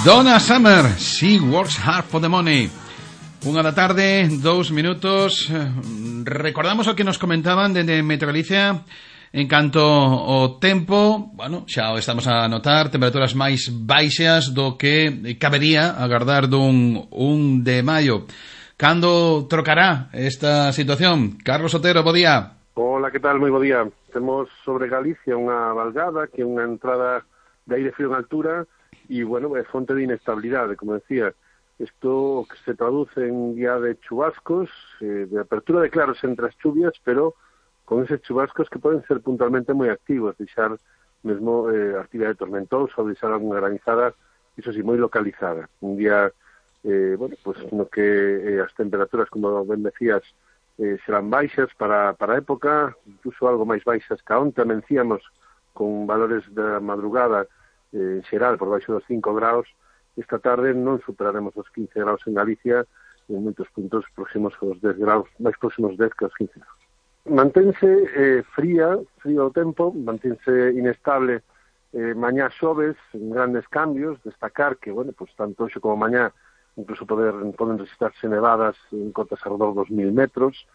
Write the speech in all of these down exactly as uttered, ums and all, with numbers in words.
Donna Summer, She Works Hard for the Money. Unha da tarde, dous minutos. Recordamos o que nos comentaban dende Meteo Galicia en canto ao tempo. Bueno, xa o estamos a notar, temperaturas máis baixas do que cabería agardar dun un de maio. Cando trocará esta situación? Carlos Otero, bo día. Hola, que tal? Moi bo día. Temos sobre Galicia unha valgada, que é unha entrada de aire frío en altura e, bueno, é fonte de inestabilidade, como decía. Isto que se traduce en día de chubascos, eh, de apertura de claros entre as chuvias, pero con eses chubascos que poden ser puntualmente moi activos, deixar mesmo eh, actividade tormentosa ou deixar alguna granizada, iso sí, moi localizada. Un día, eh, bueno, pues no que eh, as temperaturas, como ben decías, eh, serán baixas para, para a época, incluso algo máis baixas que onte amencíamos con valores da madrugada eh, en xeral por baixo dos cinco graus. Esta tarde non superaremos os quince graus en Galicia e en moitos puntos próximos aos dez graus, máis próximos dez que aos quince graus. Mantense eh, fría, frío o tempo, mantense inestable eh, mañá xoves, en grandes cambios, destacar que, bueno, pues tanto hoxe como mañá incluso poder, poden registrarse nevadas en cotas alrededor dos mil metros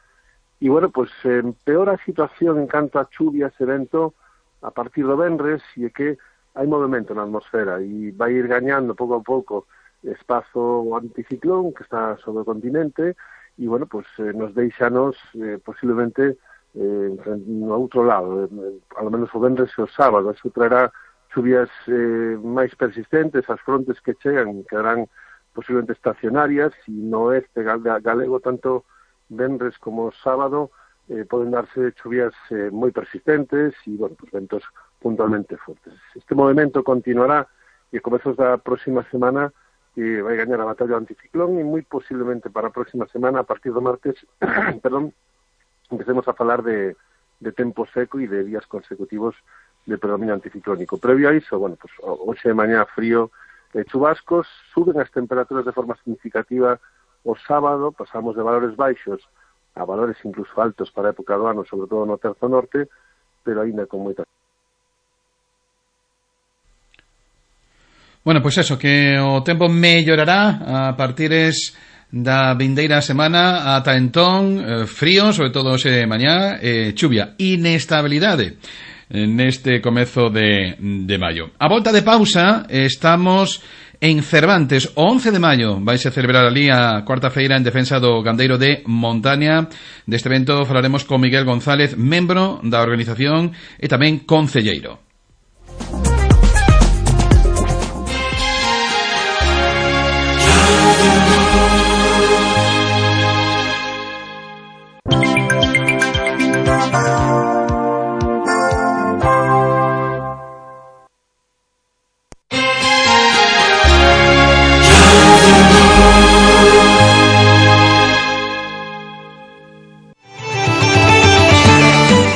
e, bueno, pues eh, empeora a situación en canto a chuvias e vento a partir do venres e é que hai movimento na atmosfera e vai ir gañando pouco a pouco espazo anticiclón que está sobre o continente e, bueno, pues eh, nos deixanos eh, posiblemente eh, no outro lado, eh, ao menos o venres e o sábado. Eso traerá chuvias eh, máis persistentes, as frontes que chegan quedarán posiblemente estacionarias e no oeste galego tanto venres como sábado eh, poden darse chuvias eh, moi persistentes e, bueno, pues ventos puntualmente fortes. Este movimento continuará e a comezos da próxima semana eh, vai gañar a batalla anticiclón e moi posiblemente para a próxima semana, a partir do martes, perdón, empecemos a falar de, de tempo seco e de días consecutivos de predominio anticiclónico. Previo a iso, bueno, pues hoxe de mañá frío e chubascos, suben as temperaturas de forma significativa o sábado, pasamos de valores baixos a valores incluso altos para a época do ano, sobre todo no terzo norte, pero aínda con moita. Bueno, pois pues eso, que o tempo mellorará a partires da vindeira semana ata entón, eh, frío, sobre todo hoxe mañá, eh, chuvia, inestabilidade neste comezo de, de maio. A volta de pausa, estamos en Cervantes, o once de maio vaise celebrar ali a cuarta feira en defensa do gandeiro de Montaña. Deste evento falaremos con Miguel González, membro da organización e tamén concelleiro.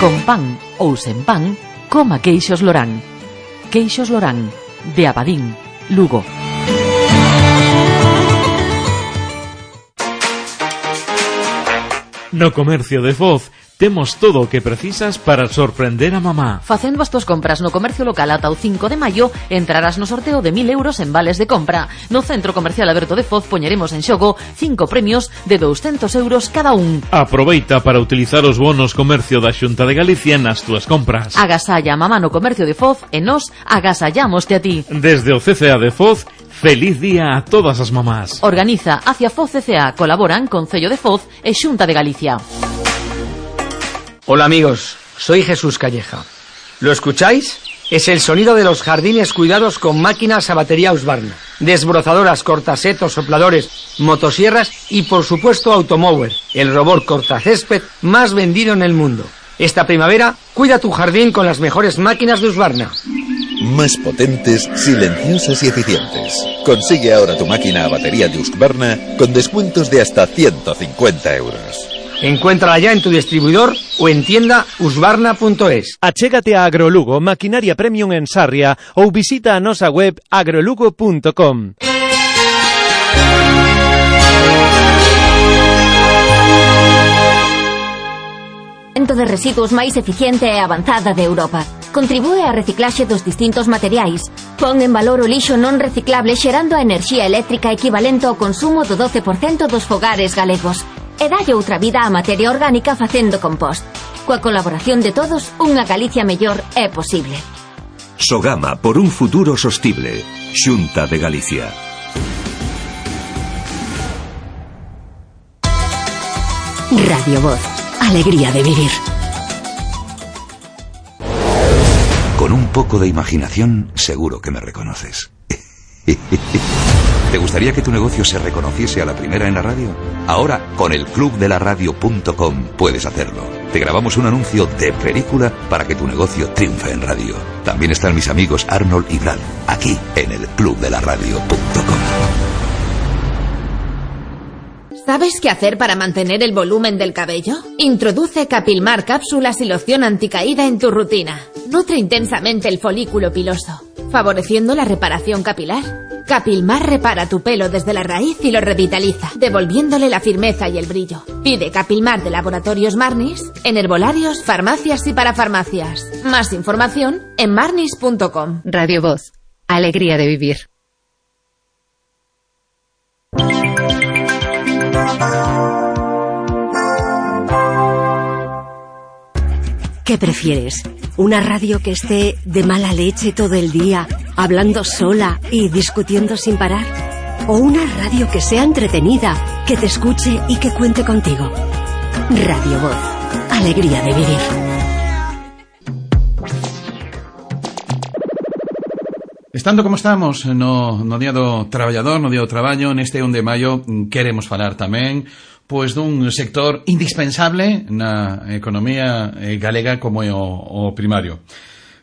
Con pan ou sen pan, coma queixos Lorán. Queixos Lorán, de Abadín, Lugo. No comercio de Foz temos todo o que precisas para sorprender a mamá. Facendo as túas compras no comercio local ata o cinco de maio, entrarás no sorteo de mil euros en vales de compra. No Centro Comercial Aberto de Foz poñeremos en xogo cinco premios de douscentos euros cada un. Aproveita para utilizar os bonos comercio da Xunta de Galicia nas túas compras. Agasalla a mamá no comercio de Foz e nos agasallámoste a ti. Desde o C C A de Foz, feliz día a todas as mamás. Organiza Hacia Foz C C A, colaboran Concello de Foz e Xunta de Galicia. Hola amigos, soy Jesús Calleja. ¿Lo escucháis? Es el sonido de los jardines cuidados con máquinas a batería Husqvarna, desbrozadoras, cortasetos, sopladores, motosierras y por supuesto Automower, el robot cortacésped más vendido en el mundo. Esta primavera, cuida tu jardín con las mejores máquinas de Husqvarna. Más potentes, silenciosas y eficientes. Consigue ahora tu máquina a batería de Husqvarna con descuentos de hasta ciento cincuenta euros. Encuéntrala ya en tu distribuidor o en tienda husqvarna punto es. Achégate a Agrolugo, maquinaria premium en Sarria, ou visita a nosa web agrolugo punto com. Centro de residuos máis eficiente e avanzada de Europa. contribúe á reciclaxe dos distintos materiais. Pon en valor o lixo non reciclable xerando a enerxía eléctrica equivalente ao consumo do doce por cento dos fogares galegos. E dalle outra vida á materia orgánica facendo compost. Coa colaboración de todos, unha Galicia mellor é posible. Sogama por un futuro sostible. Xunta de Galicia. Radio Voz. Alegría de vivir. Con un poco de imaginación, seguro que me reconoces. ¿Te gustaría que tu negocio se reconociese a la primera en la radio? Ahora, con el club de la radio punto com puedes hacerlo. Te grabamos un anuncio de película para que tu negocio triunfe en radio. También están mis amigos Arnold y Brad, aquí en el club de la radio punto com. ¿Sabes qué hacer para mantener el volumen del cabello? Introduce Capilmar cápsulas y loción anticaída en tu rutina. Nutre intensamente el folículo piloso, favoreciendo la reparación capilar. Capilmar repara tu pelo desde la raíz y lo revitaliza, devolviéndole la firmeza y el brillo. Pide Capilmar de Laboratorios Marnis en herbolarios, farmacias y parafarmacias. Más información en marnis punto com. Radio Voz. Alegría de vivir. ¿Qué prefieres? ¿Una radio que esté de mala leche todo el día, hablando sola y discutiendo sin parar? ¿O una radio que sea entretenida, que te escuche y que cuente contigo? Radio Voz. Alegría de vivir. Estando como estamos no, no Día do Traballador, no Día do Traballo, neste un de maio queremos falar tamén pois dun sector indispensable na economía galega como é o, o primario.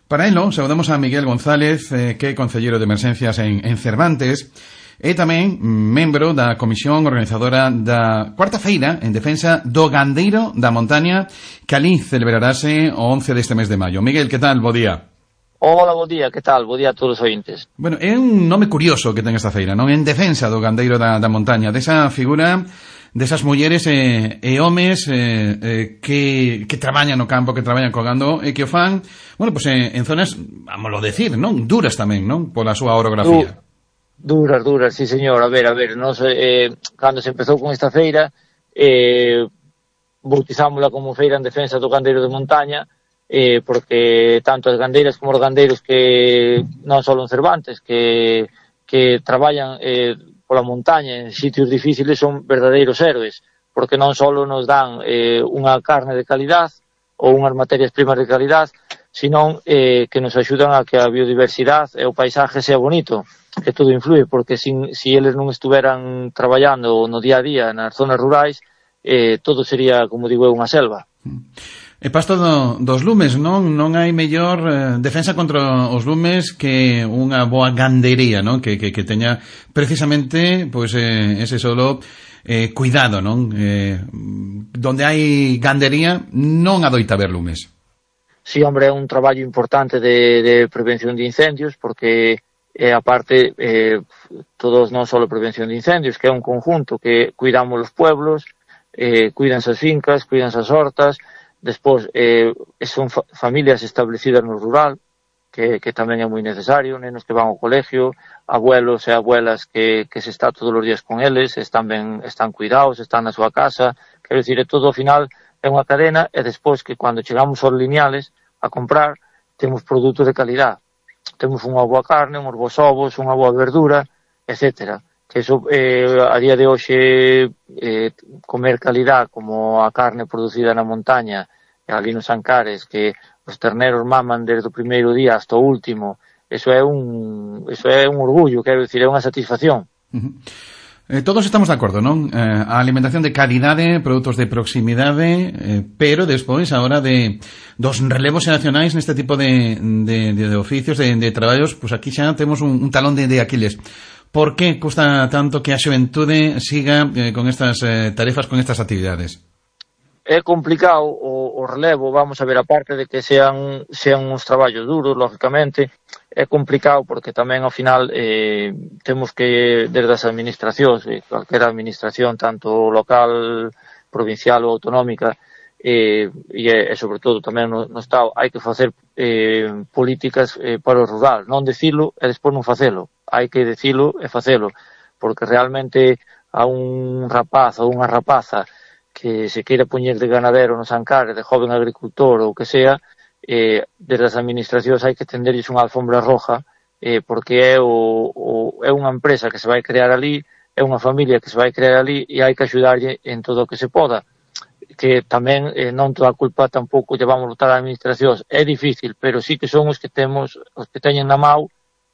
Para elo, saudamos a Miguel González, eh, que é concelleiro de emerxencias en, en Cervantes, e tamén membro da comisión organizadora da cuarta feira en defensa do gandeiro da montaña, que ali celebrarase o once deste mes de maio. Miguel, que tal? Bo día. Hola, bo día, que tal? Bo día a todos os ointes. Bueno, é un nome curioso que ten esta feira, non? En defensa do gandeiro da, da montaña, desa figura desas mulleres e, e homes eh, eh, que, que traballan no campo, que traballan co gando e que o fan, bueno, pues en, en zonas, vámoslo decir, non? Duras tamén, non? Pola súa orografía. Du, duras, duras, sí señor. A ver, a ver, nos, eh, cando se empezou con esta feira, eh, bautizámola como feira en defensa do gandeiro de montaña, eh, porque tanto as gandeiras como os gandeiros que non só en Cervantes, que, que traballan eh, pola montaña en sitios difíciles son verdadeiros héroes, porque non só nos dan eh, unha carne de calidad ou unhas materias primas de calidad, senón eh, que nos axudan a que a biodiversidade e o paisaje sea bonito, que todo influye, porque sin, si eles non estuveran traballando no día a día nas zonas rurais, eh, todo sería, como digo, unha selva. E pasto do, dos lumes, non? Non hai mellor eh, defensa contra os lumes que unha boa gandería, non? Que, que, que teña precisamente pois, eh, ese solo eh, cuidado, non? Eh, donde hai gandería non adoita haber lumes. Sí, hombre, é un traballo importante de, de prevención de incendios, porque eh, aparte eh, todos non só prevención de incendios, que é un conjunto que cuidamos os pueblos, eh, cuidanse as fincas, cuidanse as hortas. Despois, eh, son fa familias establecidas no rural, que, que tamén é moi necesario, nenos que van ao colegio, abuelos e abuelas que, que se está todos os días con eles, están ben, están cuidados, están na súa casa, quero dicir, é todo ao final é unha cadena, e despois que cando chegamos aos lineales a comprar, temos produtos de calidad, temos unha boa carne, uns bons ovos, unha boa verdura, etcétera. Que eso, eh, a día de hoxe, eh, comer calidad como a carne producida na montaña, ali nos Ancares, que os terneros maman desde o primeiro día hasta o último, eso é un, eso é un orgullo, quero dicir, é unha satisfacción. Uh-huh. Eh, todos estamos de acordo, non? Eh, a alimentación de calidade, produtos de proximidade, eh, pero despois, a hora de dos relevos xeracionais neste tipo de, de, de, de oficios, de, de traballos, pues aquí xa temos un, un talón de, de Aquiles. Por que custa tanto que a xuventude siga eh, con estas eh, tarefas, con estas actividades? É complicado o, o relevo, vamos a ver, aparte de que sean, sean uns traballos duros, lógicamente, é complicado porque tamén ao final eh, temos que, desde as administracións, eh, calquera administración, tanto local, provincial ou autonómica, e, e, e sobre todo tamén no, no Estado hai que facer eh, políticas eh, para o rural, non decilo e despois non facelo, hai que decilo e facelo, porque realmente a un rapaz ou unha rapaza que se queira poñer de ganadero nos Ancares, de joven agricultor ou que sea, eh, desde as administracións hai que tenderlles unha alfombra roja, eh, porque é, o, o, é unha empresa que se vai crear ali, é unha familia que se vai crear ali e hai que axudarlle en todo o que se poda, que tamén eh, non toda a culpa tampouco lle vamos botar a administracións, é difícil, pero sí que son os que temos, os que teñen na mão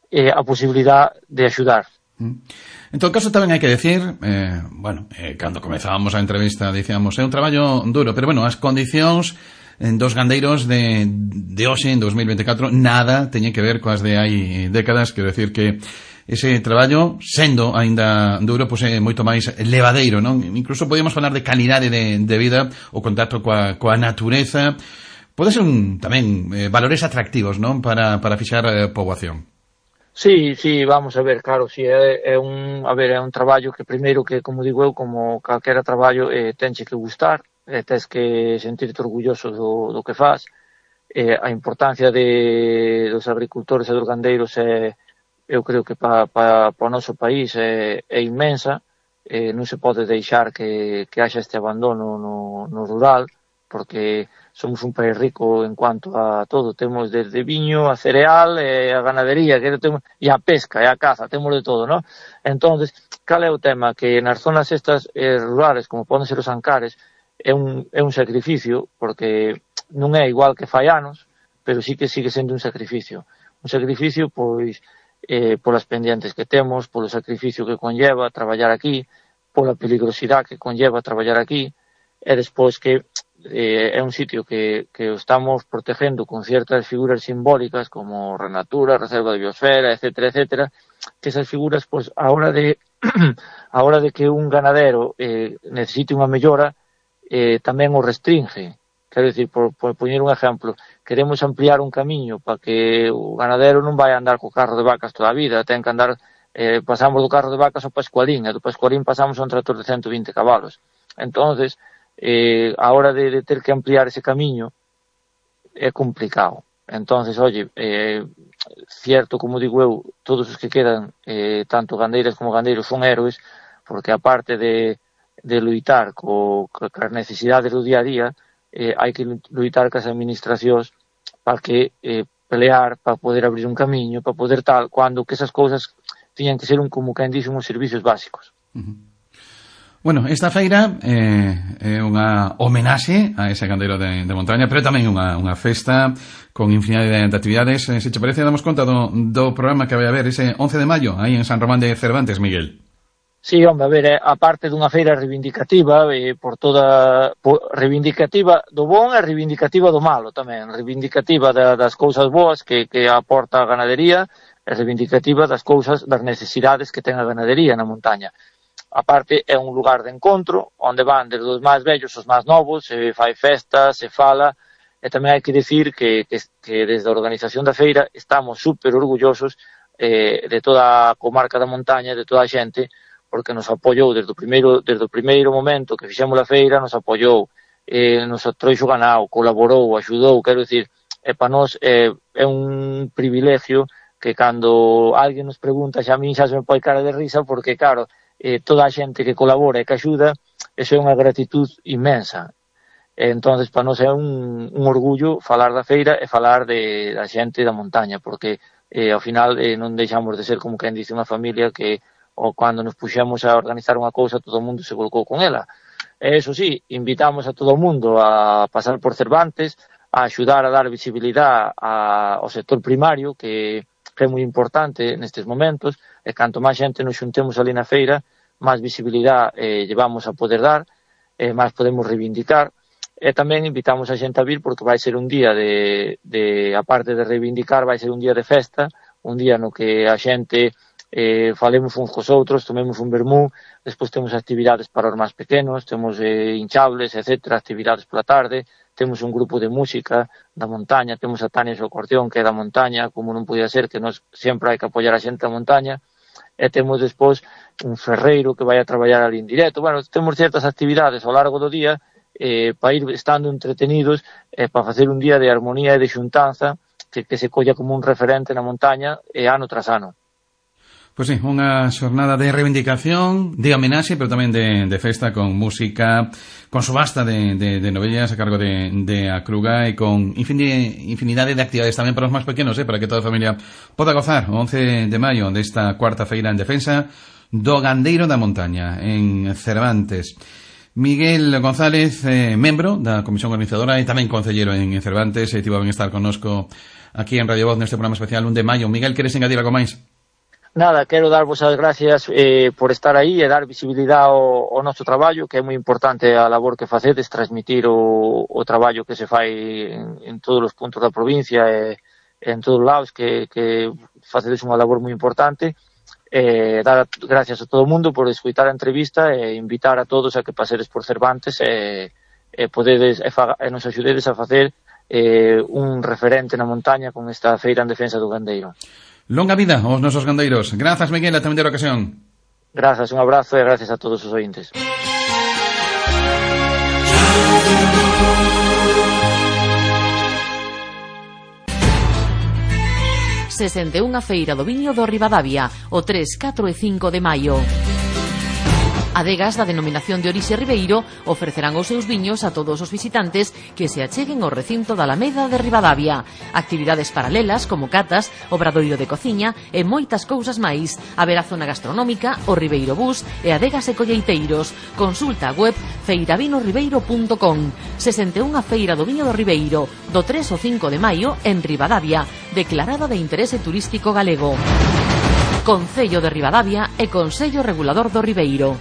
eh, a posibilidad de axudar. En todo caso tamén hai que decir, eh, bueno, eh, cando comezábamos a entrevista dicíamos, é un traballo duro, pero bueno, as condicións en dos gandeiros de, de hoxe, en dos mil veinticuatro, nada teñen que ver coas de hai décadas, quero decir que ese traballo, sendo aínda duro, pois é moito máis levadeiro, non? Incluso podíamos falar de calidade de, de vida, o contacto coa, coa natureza, pode ser un, tamén eh, valores atractivos, non? Para, para fixar eh, poboación. Sí, sí, vamos a ver, claro, sí, é, é un, a ver, é un traballo que primeiro que, como digo eu, como calquera traballo, eh, tenche que gustar, eh, tens que sentirte orgulloso do, do que faz, eh, a importancia de, dos agricultores e dos gandeiros é, eu creo que para pa, pa o noso país é, é inmensa, eh, non se pode deixar que, que haxa este abandono no, no rural, porque somos un país rico en cuanto a todo, temos desde viño, a cereal, e a ganadería, que temos, e a pesca, e a caza, temos de todo, non? Entonces, cal é o tema? Que nas zonas estas eh, rurales, como poden ser os Ancares, é un, é un sacrificio, porque non é igual que fai anos, pero sí que sigue sendo un sacrificio. Un sacrificio, pois, eh, polas pendientes que temos, polo sacrificio que conlleva traballar aquí, pola peligrosidade que conlleva traballar aquí, e despois que eh, é un sitio que, que estamos protegendo con ciertas figuras simbólicas como Renatura, Reserva de Biosfera, etcétera, etcétera, que esas figuras, pois, a hora de a hora de que un ganadero eh, necesite unha mellora, eh, tamén o restringe. Quero dicir, por, por poñer un exemplo, queremos ampliar un camiño para que o ganadero non vai andar co carro de vacas toda a vida, ten que andar, eh, pasamos do carro de vacas ao Pascualín, e do Pascualín pasamos a un tractor de ciento vinte cabalos. Entonces, eh, a hora de, de ter que ampliar ese camiño é complicado. Entonces, oye, eh, cierto, como digo eu, todos os que quedan, eh, tanto gandeiras como gandeiros, son héroes, porque aparte de, de luitar co, co, cas necesidades do día a día, eh, hai que luitar cas administracións para que eh, pelear, para poder abrir un camiño, para poder tal, cuando que esas cousas tiñan que ser un, como quen dixen, uns servicios básicos. Uh-huh. Bueno, esta feira eh, é unha homenaxe a ese gandeiro de, de montaña, pero tamén unha, unha festa con infinidade de, de actividades. Eh, se te parece, damos conta do, do programa que vai haber ese once de maio, aí en San Román de Cervantes, Miguel. Sí, hombre, a ver, é a parte dunha feira reivindicativa, eh, por toda, por, reivindicativa do bon e reivindicativa do malo tamén, reivindicativa da, das cousas boas que, que aporta a ganadería e reivindicativa das cousas, das necesidades que ten a ganadería na montaña. A parte é un lugar de encontro, onde van desde os máis vellos aos máis novos, se fai festa, se fala, e tamén hai que dicir que, que, que desde a organización da feira estamos super orgullosos eh, de toda a comarca da montaña, de toda a xente, porque nos apoiou desde o primeiro, desde o primeiro momento que fixemos a feira, nos apoiou, eh, nos trouxo ganao, colaborou, axudou, quero dicir, e para nós eh, é un privilegio que cando alguén nos pregunta, xa a min xa se me pode cara de risa, porque claro, eh, toda a xente que colabora e que axuda, eso é unha gratitud inmensa. E, entonces, para nós é un, un orgullo falar da feira e falar de, da xente da montaña, porque eh, ao final eh, non deixamos de ser como quen dice unha familia que ou cando nos puxemos a organizar unha cousa todo o mundo se volcou con ela. E eso sí, invitamos a todo o mundo a pasar por Cervantes, a axudar a dar visibilidade a, ao sector primario, que, que é moi importante nestes momentos, e canto máis xente nos xuntemos ali na feira, máis visibilidade eh, llevamos a poder dar, eh, máis podemos reivindicar, e tamén invitamos a xente a vir porque vai ser un día de, de, aparte de reivindicar, vai ser un día de festa, un día no que a xente eh, falemos uns cos outros, tomemos un vermú, despois temos actividades para os máis pequenos, temos eh, hinchables, etcétera, actividades pola tarde, temos un grupo de música da montaña, temos a Tania Socortión, que é da montaña, como non podía ser, que nos sempre hai que apoiar a xente da montaña, e temos despois un ferreiro que vai a traballar ali en directo. Bueno, temos certas actividades ao largo do día eh, para ir estando entretenidos, eh, para facer un día de armonía e de xuntanza que, que se colla como un referente na montaña eh, ano tras ano. Pois sí, unha xornada de reivindicación, de homenaxe, pero tamén de, de festa, con música, con subasta de, de, de novellas a cargo de, de Acruga e con infinidade de actividades tamén para os máis pequenos, eh, para que toda a familia poda gozar o once de maio desta cuarta feira en defensa do gandeiro da montaña en Cervantes. Miguel González, eh, membro da comisión organizadora e tamén concellero en Cervantes, e tivo ben estar connosco aquí en Radio Voz neste programa especial un de maio. Miguel, queres engadir algo máis? Nada, quero darvos as gracias eh, por estar aí e dar visibilidade ao, ao noso traballo, que é moi importante a labor que facedes, transmitir o, o traballo que se fai en, en todos os puntos da provincia e en todos os lados, que, que facedes unha labor moi importante. Eh, dar gracias a todo o mundo por escutar a entrevista e invitar a todos a que pasedes por Cervantes e, e podedes e, fa, e nos axudedes a facer eh, un referente na montaña con esta feira en defensa do gandeiro. Longa vida aos nosos gandeiros. Grazas, Miguel, a tamén de ocasión. Grazas, un abrazo e gracias a todos os ointes. sesenta e unha Feira do Viño do Ribadavia, o tres, catro e cinco de maio. Adegas da denominación de orixe Ribeiro ofrecerán os seus viños a todos os visitantes que se acheguen ao recinto da Alameda de Ribadavia. Actividades paralelas como catas, obradoiro de cociña e moitas cousas máis. Haberá zona gastronómica, o Ribeiro Bus e adegas e colleiteiros. Consulta a web feiravino ribeiro punto com. sesenta e unha Feira do Viño do Ribeiro, do tres ao cinco de maio en Ribadavia, declarada de interese turístico galego. Concello de Ribadavia e Consello Regulador do Ribeiro.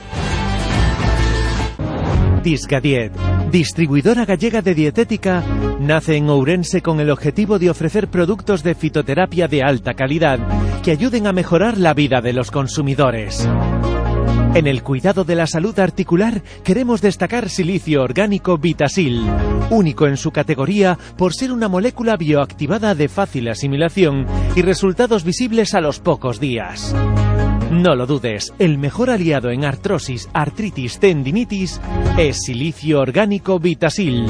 Discadiet, distribuidora gallega de dietética, nace en Ourense con el objetivo de ofrecer productos de fitoterapia de alta calidad que ayuden a mejorar la vida de los consumidores. En el cuidado de la salud articular queremos destacar Silicio Orgánico Vitasil, único en su categoría por ser una molécula bioactivada de fácil asimilación y resultados visibles a los pocos días. No lo dudes, el mejor aliado en artrosis, artritis, tendinitis es Silicio Orgánico Vitasil.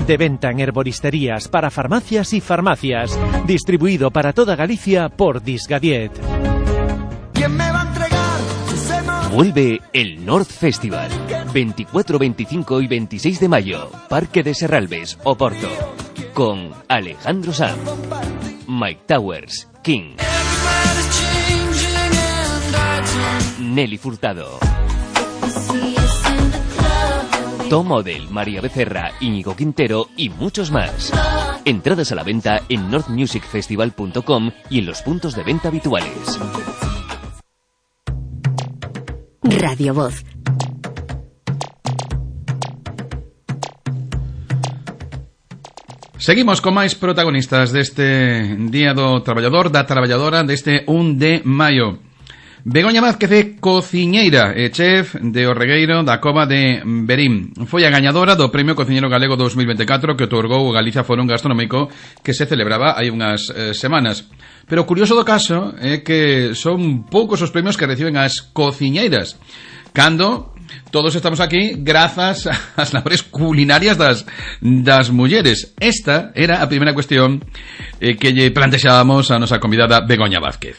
De venta en herboristerías, para farmacias y farmacias. Distribuido para toda Galicia por Discadiet. ¿Quién me va a entregar? Vuelve el North Festival. veinticuatro, veinticinco y veintiséis de mayo. Parque de Serralbes, Oporto. Con Alejandro Sanz, Mike Towers, King, Nelly Furtado, Tom Model, María Becerra, Íñigo Quintero y muchos más. Entradas a la venta en north music festival punto com y en los puntos de venta habituales. Radio Voz. Seguimos con máis protagonistas deste Día do Traballador, da Traballadora, deste un de maio. Begoña Vázquez é cociñeira e chef de O Regueiro da Cova de Verín. Foi a gañadora do Premio Cociñeiro Galego dos mil veinticuatro que otorgou o Galicia Fórum Gastronómico que se celebraba hai unhas eh, semanas. Pero o curioso do caso é que son poucos os premios que reciben as cociñeiras, cando todos estamos aquí grazas ás labores culinarias das, das mulleres. Esta era a primeira cuestión eh, que lle plantexábamos a nosa convidada Begoña Vázquez.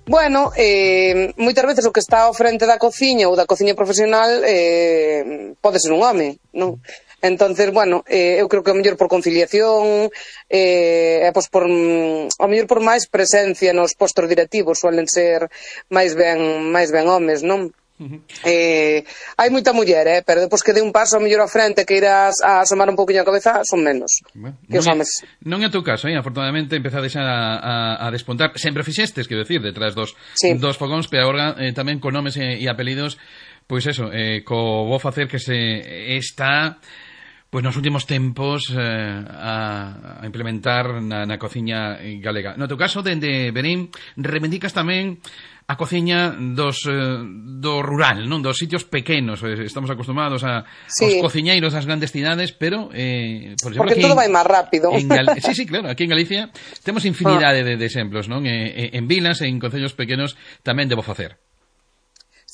Bueno, eh, moitas veces o que está ao frente da cociña ou da cociña profesional eh, pode ser un home, non? Entonces, bueno, eh, eu creo que o mellor por conciliación, eh, pois por, o mellor por máis presencia nos postos directivos, suelen ser máis ben, máis ben homes, non? Uh-huh. Eh, hai moita muller, eh, pero depois que dé un paso ao mellor ao frente que irás a asomar un pouquinho a cabeza, son menos bueno, que os homes. Non é o teu caso, eh? Afortunadamente empezades a, a, a despontar. Sempre fixestes, quero decir, detrás dos, sí. dos fogóns, pero agora eh, tamén con nomes e, e apelidos, pois eso, eh, co vou facer que se está pois nos últimos tempos eh, a, a implementar na, na cociña galega. No teu caso, dende Verín, reivindicas tamén a cociña dos eh, do rural, non, dos sitios pequenos. Estamos acostumados a sí. aos cociñeiros das grandes cidades, pero eh, por exemplo, porque todo vai máis rápido. En Gal... Sí, sí, claro, aquí en Galicia temos infinidade ah. de, de exemplos, non? E, en vilas e en concellos pequenos tamén debo facer.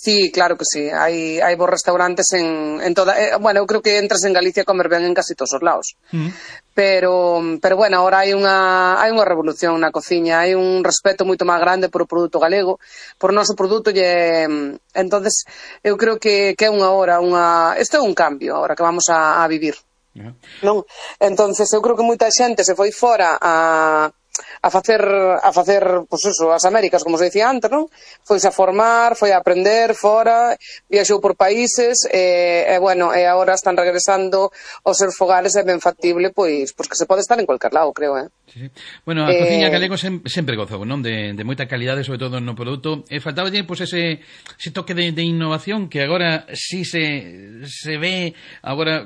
Sí, claro que sí. Hai, hai bons restaurantes en, en toda... Eh, bueno, eu creo que entras en Galicia a comer ben en casi todos os lados. Mm. Pero, pero bueno, ahora hai unha, hai unha revolución na cociña, hai un respeto moito máis grande por o produto galego, por o noso produto, e entonces eu creo que, que é unha hora, unha... Isto é un cambio agora que vamos a, a vivir. Yeah. Non? Entonces eu creo que moita xente se foi fora a... a facer, a facer, pois pues eso, as Américas, como se dicía antes, non? Foise a formar, foi a aprender fora, viaxou por países, e, e bueno, e agora están regresando aos seus fogares, é ben factible, pois, pois que se pode estar en cualquier lado, creo, eh? Sí, sí. Bueno, a eh... cociña galego sem, sempre gozou, non? De, de moita calidade, sobre todo no produto, e faltaba pois, ese, ese toque de, de innovación que agora sí se, se ve, agora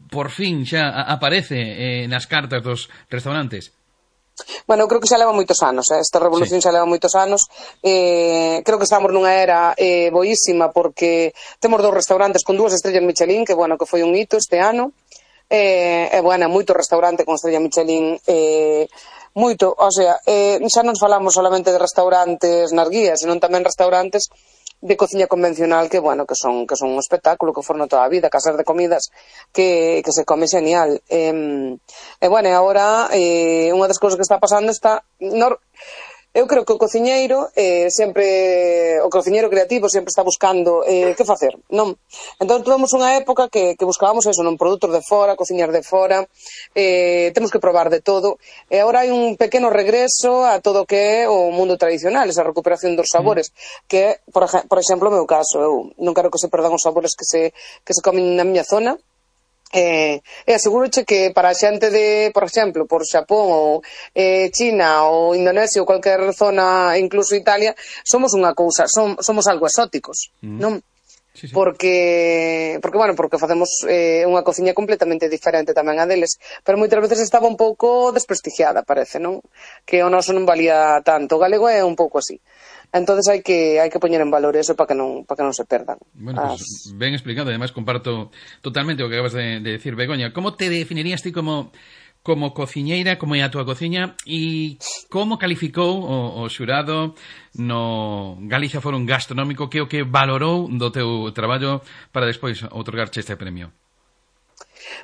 por fin xa aparece eh, nas cartas dos restaurantes. Bueno, eu creo que xa leva moitos anos, eh? Esta revolución sí. xa leva moitos anos. Eh, creo que estamos nunha era eh, boísima porque temos dous restaurantes con dúas estrellas Michelin, que bueno, que foi un hito este ano. E eh, eh, bueno, moito restaurante con estrella Michelin, eh, moito, o sea, eh, xa non falamos solamente de restaurantes nas guías, senón tamén restaurantes de cociña convencional que, bueno, que son que son un espectáculo, que foron toda a vida, casas de comidas que, que se come genial. E, eh, bueno, e agora eh, unha das cousas que está pasando está... No, eu creo que o cociñeiro eh, sempre, o cociñeiro creativo sempre está buscando eh, que facer, non? Entón tuvemos unha época que, que buscábamos eso, non, produtos de fora, cociñar de fora, eh, temos que probar de todo, e agora hai un pequeno regreso a todo o que é o mundo tradicional, esa recuperación dos sabores, mm. que é, por, por exemplo, o meu caso, eu non quero que se perdan os sabores que se, que se comen na miña zona. Eh, e asegúroche que para a xente de, por exemplo, por Xapón ou eh, China ou Indonesia ou cualquier zona, incluso Italia, somos unha cousa, som, somos algo exóticos, mm. non? Sí, sí. Porque, porque, bueno, porque facemos eh, unha cociña completamente diferente tamén a deles, pero moitas veces estaba un pouco desprestigiada, parece, non? Que o noso non valía tanto. O galego é un pouco así. Entonces hai que hai que poñer en valor eso para que non para que non se perdan. Bueno, pues As... ben explicado, además comparto totalmente o que acabas de, de decir, Begoña. Como te definirías ti como como cociñeira, como é a túa cociña e como calificou o, o xurado no Galicia Forum Gastronómico, que o que valorou do teu traballo para despois outorgarche este premio?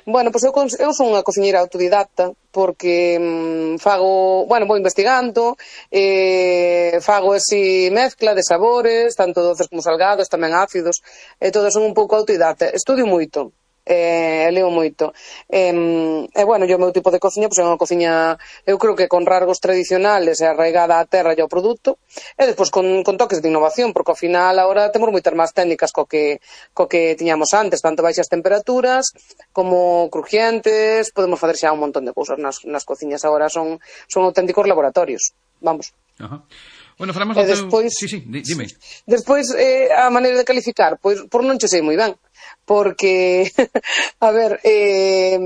Bueno, pois pues eu, eu son unha cociñeira autodidacta porque mmm, fago, bueno, vou investigando, eh, fago ese mezcla de sabores, tanto doces como salgados, tamén ácidos, e todo son un pouco autodidacta. Estudio moito, eh, leo moito. E, e bueno, yo o meu tipo de cociña, pois é unha cociña, eu creo que con rasgos tradicionales e arraigada á terra e ao produto, e despois con, con toques de innovación, porque ao final agora temos moitas máis técnicas co que, co que tiñamos antes, tanto baixas temperaturas como crujientes, podemos facer xa un montón de cousas nas, nas cociñas agora, son, son auténticos laboratorios, vamos. Ajá. Bueno, falamos do despois, teu... Sí, sí, dime. Despois, eh, a maneira de calificar, pois por non che sei moi ben, porque, a ver, eh,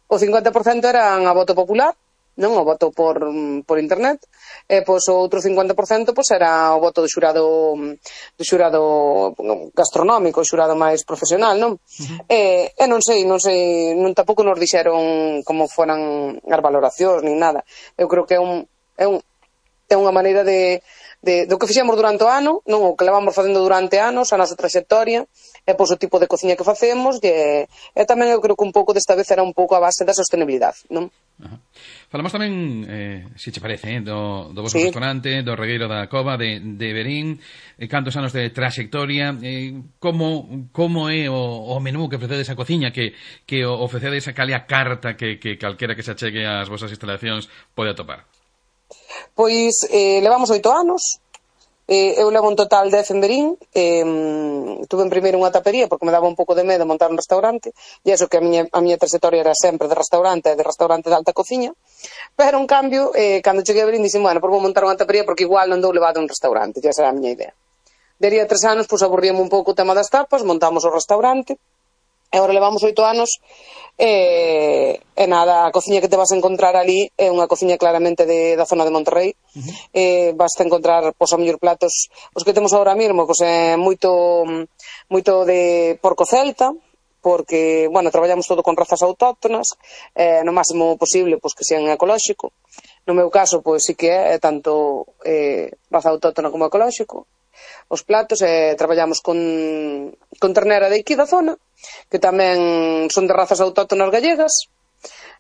o cincuenta por cento eran a voto popular, non o voto por, por internet, e pois o outro cincuenta por cento pois era o voto do xurado do xurado gastronómico, o xurado máis profesional, non? Uh-huh. E, e non sei, non sei, non tampouco nos dixeron como foran as valoracións nin nada. Eu creo que é un é un é unha maneira de, de do que fixemos durante o ano, non, o que levamos facendo durante anos, a nosa traxectoria, e pois o tipo de cociña que facemos, e, e tamén eu creo que un pouco desta vez era un pouco a base da sostenibilidade, non? Ajá. Falamos tamén, eh, se che parece, eh, do, do vosso sí. restaurante, do Regueiro da Cova, de, de Verín, eh, cantos anos de traxectoria, eh, como, como é o, o menú que ofrecedes a cociña, que, que ofrecedes a calia carta que, que calquera que se achegue ás vosas instalacións pode atopar? Pois eh, levamos oito anos, eh, eu levo un total dez en Verín, eh, tuve en primeiro unha tapería porque me daba un pouco de medo montar un restaurante, e iso que a miña, a miña trayectoria era sempre de restaurante, de restaurante de alta cociña, pero en cambio, eh, cando cheguei a Verín dixen, bueno, por vou montar unha tapería porque igual non dou levado un restaurante, xa será a miña idea. Dería tres anos, pois aburríame un pouco o tema das tapas, montamos o restaurante, e agora levamos oito anos, e, e nada, a cociña que te vas a encontrar ali é unha cociña claramente de, da zona de Monterrey. Uh-huh. eh, vas a encontrar, pois, a mellor platos, os que temos agora mesmo, pois, é moito, moito de porco celta, porque, bueno, traballamos todo con razas autóctonas, eh, no máximo posible, pois, que sean ecolóxico. No meu caso, pois, sí que é, é tanto eh, raza autóctona como ecolóxico. os platos e traballamos con, con ternera de aquí da zona, que tamén son de razas autóctonas gallegas.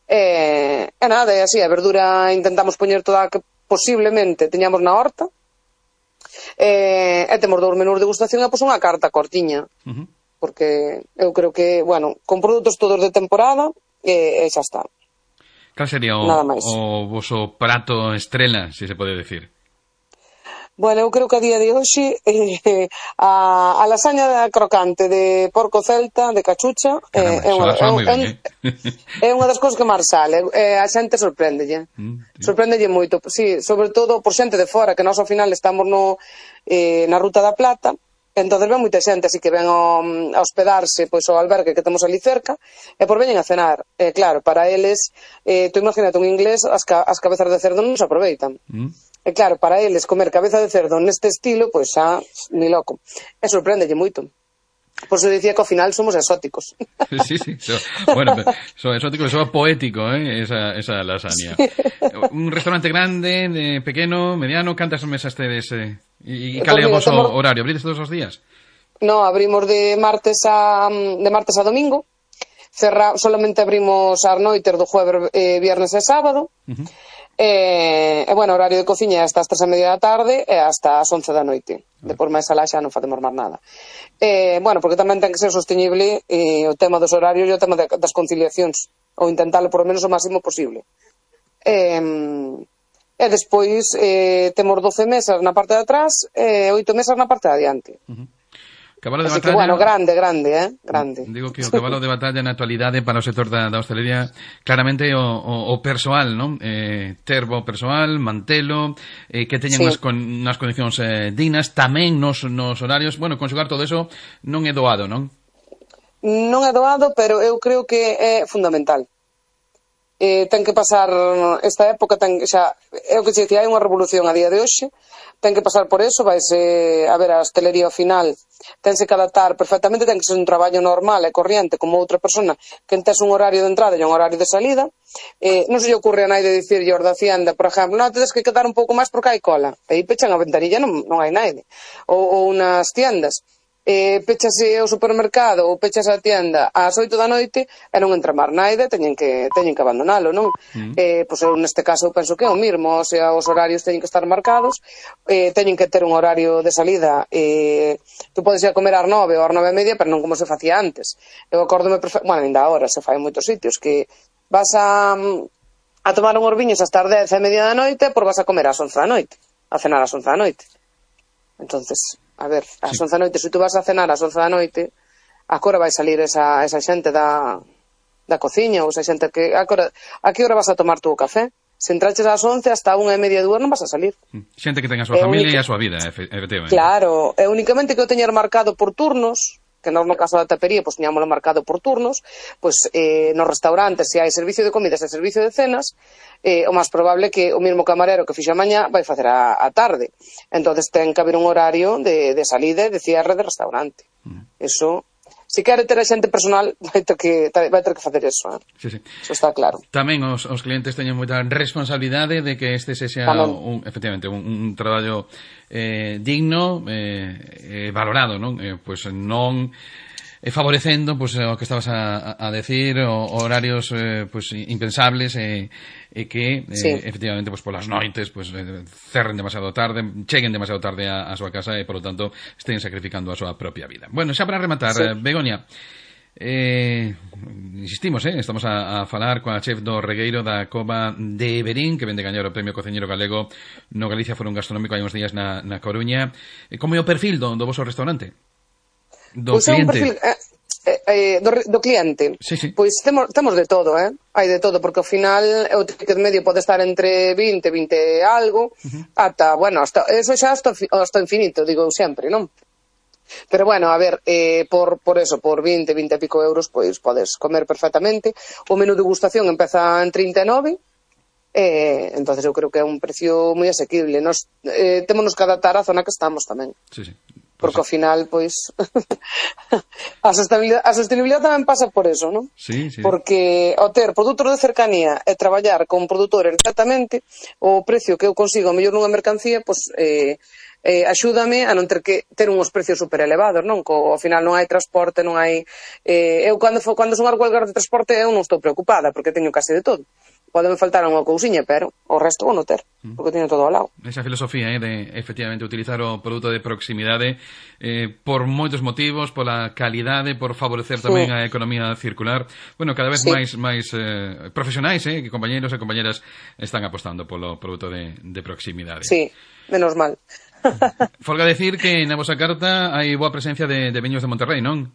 E, e nada, e así, a verdura intentamos poñer toda a que posiblemente teñamos na horta. E, e temos dous menús de degustación e pois unha carta cortiña. Uh-huh. Porque eu creo que, bueno, con produtos todos de temporada e, e xa está. Cal sería o, o voso prato estrela, se se pode decir? Bueno, eu creo que a día de hoxe eh, a, a lasaña crocante de porco celta, de cachucha, Caramba, eh, é, unha, é, ben, é, eh? é unha das cousas que máis sale. Eh, a xente sorpréndelle. Mm, sí. Sorpréndelle moito. Sí, sobre todo por xente de fora, que nós ao final estamos no, eh, na Ruta da Plata. Entonces ven moita xente así que ven a, a hospedarse pois ao albergue que temos ali cerca e por veñen a cenar. Eh, claro, para eles, eh, tú imagínate un inglés, as, ca, as cabezas de cerdo non se aproveitan. Mm. E claro, para eles comer cabeza de cerdo neste estilo, pois xa, ni loco. E sorpréndelle moito. Por eso dicía que ao final somos exóticos. Sí, sí, so, bueno, so exótico, so poético, eh, esa, esa lasaña. Sí. Un restaurante grande, de pequeno, mediano, cantas mesas tedes... Eh? E cal é o vosso horario? Abrides todos os días? No, abrimos de martes a de martes a domingo. Cerra, solamente abrimos ás noites do jueves, eh, viernes e sábado. Uh-huh. E, e, bueno, horario de cociña é hasta as tres e media da tarde e hasta as once da noite. Uh-huh. Depois máis alá xa non facemos máis nada. E, bueno, porque tamén ten que ser sostenible eh, o tema dos horarios e o tema de, das conciliacións. Ou intentarlo por lo menos o máximo posible. E... E despois eh, temos doce mesas na parte de atrás e oito mesas na parte de adiante. Uh-huh. Cabalo de Así batalla... que, bueno, grande, grande, eh? Grande. Digo que o cabalo de batalla na actualidade para o sector da, da hostelería claramente o, o, o persoal, non? Eh, ter bo persoal, mantelo, eh, que teñan sí. unas, con, unas condicións eh, dignas, tamén nos, nos horarios. Bueno, conxugar todo eso non é doado, non? Non é doado, pero eu creo que é fundamental. Eh, ten que pasar esta época, ten, xa, é o que se dicía, hai unha revolución a día de hoxe, ten que pasar por eso, vaise a ver a hostelería ao final, tense que adaptar perfectamente, ten que ser un traballo normal e corriente como outra persona que tes un horario de entrada e un horario de salida. Eh, non se lle ocurre a naide dicir aos da Hacienda, por exemplo, non, tedes que quedar un pouco máis porque hai cola, e aí pechan a ventanilla, non, non hai naide, ou, ou nas tiendas. Eh, pechase o supermercado ou pechase a tienda ás oito da noite e non entra máis naide, teñen que teñen que abandonalo, non? Mm. Eh, pois eu neste caso eu penso que é o mismo, o sea, os horarios teñen que estar marcados, eh, teñen que ter un horario de salida, eh, tú podes ir a comer ás nove ou ás nove e media, pero non como se facía antes. Eu acórdome, perfect... bueno, ainda agora se fai en moitos sitios que vas a a tomar unhos viños hasta as dez e media da noite, por vas a comer ás once da noite, a cenar ás once da noite. Entonces, a ver, ás once da noite, se tú vas a cenar ás once da noite, a que hora vai salir esa, esa xente da, da cociña, ou esa xente que, a que hora, a que hora vas a tomar tú o café? Se entraches ás once, hasta unha e media dúas non vas a salir. Xente que ten a súa e familia única... e a súa vida, efectivamente. Claro, é únicamente que o teñer marcado por turnos, que nós no caso da tapería, pois teñámoslo marcado por turnos, pois eh, nos restaurantes, se hai servicio de comidas e servicio de cenas, eh, o máis probable que o mesmo camarero que fixa mañá vai facer a, a tarde. Entonces ten que haber un horario de, de salida e de cierre de restaurante. Mm. Eso, se quere ter a xente personal, vai ter que, vai ter que facer eso. Eh? Sí, sí. Eso está claro. Tamén os, os clientes teñen moita responsabilidade de que este se xa un, efectivamente, un, un traballo eh, digno e eh, eh, valorado, non? Eh, pois non eh, favorecendo pois, o que estabas a, a decir, o, horarios eh, pois, impensables e eh, que eh, sí. efectivamente pois, polas noites pois, eh, cerren demasiado tarde, cheguen demasiado tarde a, a súa casa e, por lo tanto, estén sacrificando a súa propia vida. Bueno, xa para rematar, sí. Begoña, eh, insistimos, eh, estamos a, a falar coa chef do Regueiro da Cova de Verín, que vende gañar o Premio Cociñeiro Galego no Galicia Foro Gastronómico hai uns días na, na Coruña. Como é o perfil do, do voso restaurante? Do pois cliente? É un perfil, eh, eh, do, do cliente. Sí, sí. Pois temos, temos de todo, eh? Hai de todo, porque ao final o ticket medio pode estar entre vinte, vinte e algo, uh-huh. ata, bueno, hasta, eso xa hasta, hasta infinito, digo sempre, non? Pero bueno, a ver, eh, por, por eso, por vinte, vinte e pico euros, pois podes comer perfectamente. O menú de degustación empeza en trinta e nove, eh, entonces eu creo que é un precio moi asequible. Nos eh, témonos que adaptar á zona que estamos tamén. Sí, sí. Porque ao final, pois, a sostenibilidade, a sostenibilidade tamén pasa por eso, non? Sí, sí. Porque ao ter produtos de cercanía e traballar con produtores directamente, o precio que eu consigo mellor nunha mercancía, pois, eh, eh, axúdame a non ter que ter uns precios super elevados, non? Co, ao final non hai transporte, non hai... Eh, eu, cando, cando son as huelgas de transporte, eu non estou preocupada, porque teño case de todo. Podeme faltar unha cousiña, pero o resto vou non ter, porque teño todo ao lado. Esa filosofía eh, de, efectivamente, utilizar o produto de proximidade eh, por moitos motivos, pola calidade, por favorecer tamén sí. a economía circular. Bueno, cada vez sí. máis máis eh, profesionais, eh, que compañeiros e compañeras están apostando polo produto de, de proximidade. Sí, menos mal. Folga decir que na vosa carta hai boa presencia de, de viños de Monterrey, non?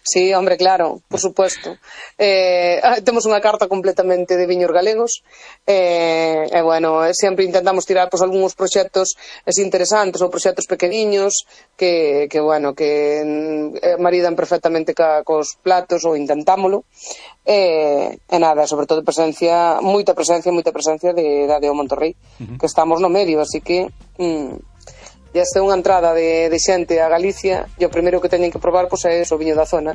Sí, hombre, claro, por supuesto. Eh, temos unha carta completamente de viños galegos eh, e, bueno, sempre intentamos tirar pues, algúns proxectos interesantes ou proxectos pequeniños que, que bueno, que eh, maridan perfectamente ca, cos platos ou intentámolo e, e nada, sobre todo presencia, moita presencia, moita presencia de, da de o Monterrey, uh-huh. que estamos no medio, así que... Mm, e esta é unha entrada de, de xente a Galicia e o primeiro que teñen que probar pois, é o viño da zona.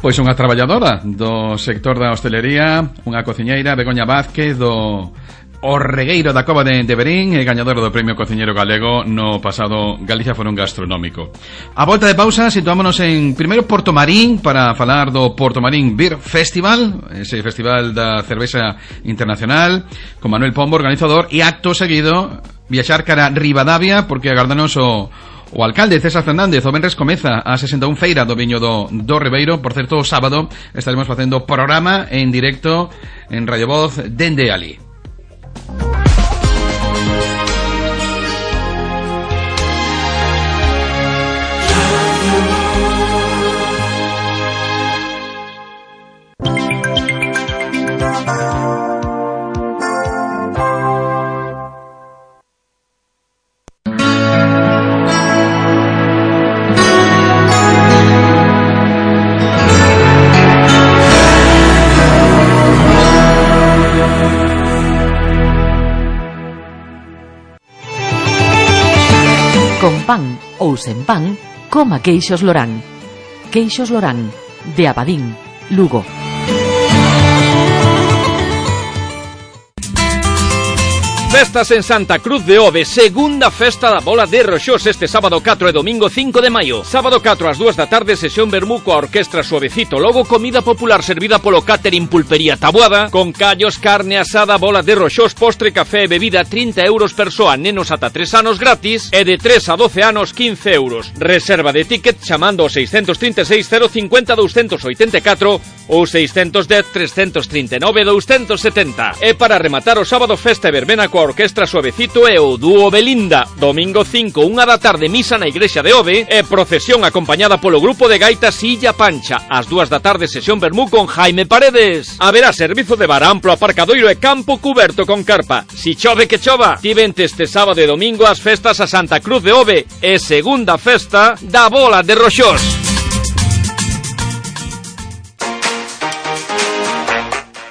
Pois unha traballadora do sector da hostelería, unha cociñeira, Begoña Vázquez, do O Regueiro da Cova de, de Verín, e gañadora do Premio Cociñeiro Galego no pasado Galicia Fórum Gastronómico. A volta de pausa, situámonos en primeiro Porto Marín para falar do Porto Marín Beer Festival, ese festival da cervexa internacional, con Manuel Pombo, organizador, e acto seguido viaxar cara a Ribadavia, porque agardanos o, o alcalde César Fernández. O venres comeza a sesenta e un feira do viño do, do Ribeiro. Por certo, o sábado estaremos facendo programa en directo en Radio Voz dende ali. Con pan ou sen pan, coma Queixos Lorán. Queixos Lorán, de Abadín, Lugo. Festas en Santa Cruz de Ove, segunda festa da bola de Roxós este sábado catro e domingo cinco de maio. Sábado catro ás dúas da tarde, sesión vermú coa orquestra Suavecito. Logo, comida popular servida polo Catering Pulpería Taboada, con callos, carne asada, bola de Roxós, postre, café e bebida, trinta euros persoa, nenos ata tres anos gratis, e de tres a doce anos, quince euros. Reserva de ticket chamando ao seiscentos trinta e seis, cero cincuenta, doscientos oitenta e catro ou seiscentos dez, trescentos trinta e nove, doscientos setenta. E para rematar o sábado, festa e verbena coa orquestra Suavecito e o dúo Belinda. Domingo cinco, unha da tarde, misa na igrexa de Ove e procesión acompañada polo grupo de gaitas Illa Pancha. Ás dúas da tarde, sesión vermú con Jaime Paredes. Haberá servizo de bar, amplo aparcadoiro e campo cuberto con carpa. Si chove que chova. Ti vente este sábado e domingo as festas a Santa Cruz de Ove e segunda festa da bola de Roxós.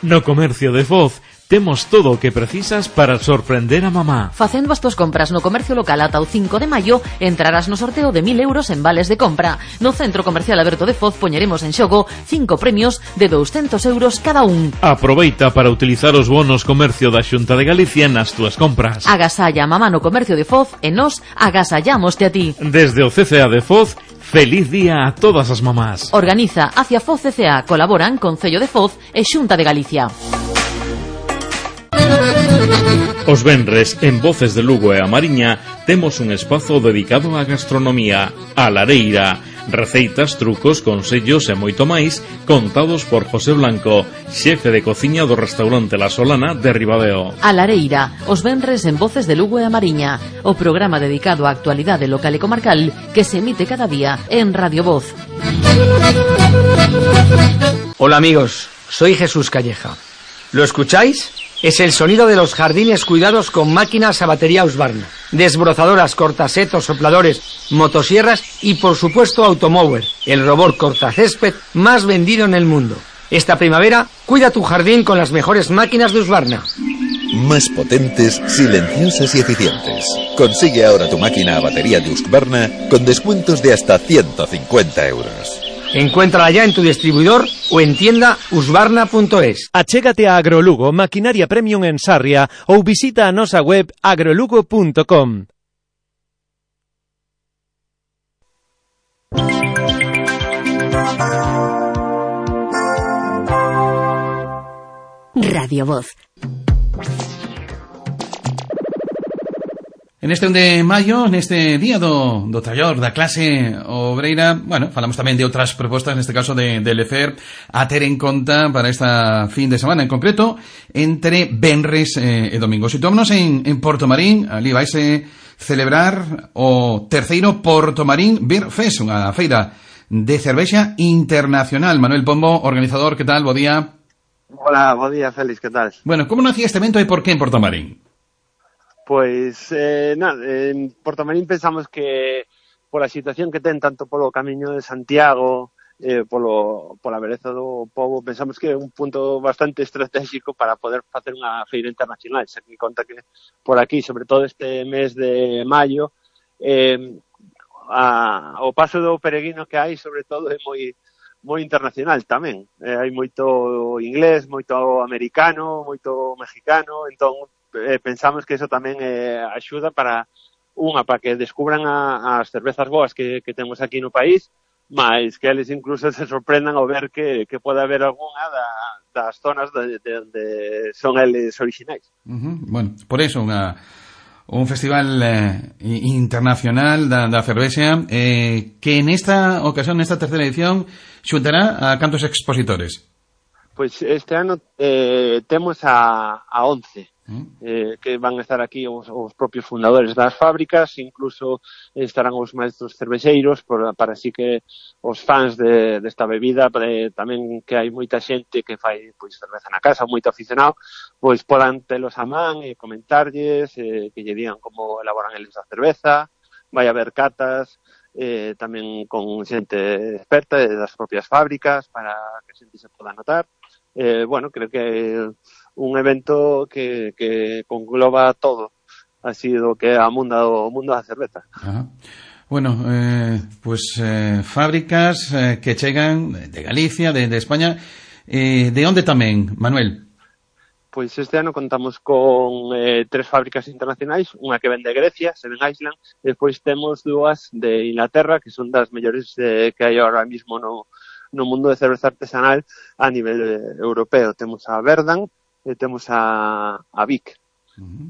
No comercio de Foz temos todo o que precisas para sorprender a mamá. Facendo as túas compras no comercio local ata o cinco de maio, entrarás no sorteo de mil euros en vales de compra. No Centro Comercial Aberto de Foz poñeremos en xogo cinco premios de douscentos euros cada un. Aproveita para utilizar os bonos comercio da Xunta de Galicia nas túas compras. Agasalla a mamá no comercio de Foz e nos agasallámoste a ti. Desde o C C A de Foz, feliz día a todas as mamás. Organiza Hacia Foz C C A, colaboran Concello de Foz e Xunta de Galicia. Os venres, en Voces de Lugo e a Mariña, temos un espazo dedicado á gastronomía, a Lareira. Receitas, trucos, consellos e moito máis, contados por José Blanco, xefe de cociña do restaurante La Solana de Ribadeo. A Lareira, os venres en Voces de Lugo e a Mariña, o programa dedicado á actualidade local e comarcal que se emite cada día en Radio Voz. Hola amigos, soy Jesús Calleja. ¿Lo escucháis? Es el sonido de los jardines cuidados con máquinas a batería Husqvarna, desbrozadoras, cortasetos, sopladores, motosierras y por supuesto Automower, el robot cortacésped más vendido en el mundo. Esta primavera, cuida tu jardín con las mejores máquinas de Husqvarna. Más potentes, silenciosas y eficientes. Consigue ahora tu máquina a batería de Husqvarna con descuentos de hasta ciento cincuenta euros. Encuéntrala ya en tu distribuidor o en tienda husqvarna punto es. Achégate a Agrolugo, maquinaria premium en Sarria, ou visita a nosa web agrolugo punto com. Radio Voz. En este un de maio, neste día do, do traballador da clase obreira, bueno, falamos tamén de outras propostas, neste caso de, de Lefer, a ter en conta para esta fin de semana, en concreto, entre venres eh, e domingo. Situámonos en, en Portomarín, ali vaise celebrar o terceiro Portomarín Beer Fest, unha feira de cervexa internacional. Manuel Pombo, organizador, que tal? Bo día. Hola, bo día, Félix, que tal? Bueno, como nacía este evento e por que en Portomarín? Pois, eh, nada, en Portomarín pensamos que pola situación que ten tanto polo camiño de Santiago, eh, polo, pola beleza do pobo, pensamos que é un punto bastante estratégico para poder facer unha feira internacional. Xa que conta que por aquí, sobre todo este mes de maio, eh, a, o paso do peregrino que hai, sobre todo, é moi moi internacional tamén. Eh, hai moito inglés, moito americano, moito mexicano, entón eh, pensamos que eso tamén eh, axuda para unha, para que descubran a, as cervezas boas que, que temos aquí no país, mas que eles incluso se sorprendan ao ver que, que pode haber algunha da, das zonas de, de, de son eles orixinais. Uh-huh. Bueno, por eso unha un festival eh, internacional da, da cervexa eh, que nesta ocasión, nesta terceira edición, xuntará a cantos expositores? Pois este ano eh, temos a, a once. Eh, que van a estar aquí os, os propios fundadores das fábricas, incluso estarán os maestros cervexeiros por, para así que os fans de, desta bebida, eh, tamén que hai moita xente que fai pois cerveza na casa, moito aficionado, pois podan telos a man e comentarlles, eh, que lle digan como elaboran eles a cerveza, vai haber catas, eh, tamén con xente experta das propias fábricas para que a xente se poda notar. Eh, bueno, creo que un evento que, que congloba todo, así do que é a mundo, o mundo da cerveza. Ajá. Bueno, eh, pues eh, fábricas eh, que chegan de Galicia, de, de España, eh, de onde tamén, Manuel? Pois este ano contamos con eh, tres fábricas internacionais, unha que ven de Grecia, Seven Island, e despois temos dúas de Inglaterra, que son das mellores eh, que hai ahora mismo no, no mundo de cerveza artesanal a nivel eh, europeo. Temos a Verdant, e temos a, a Vic. Uh-huh.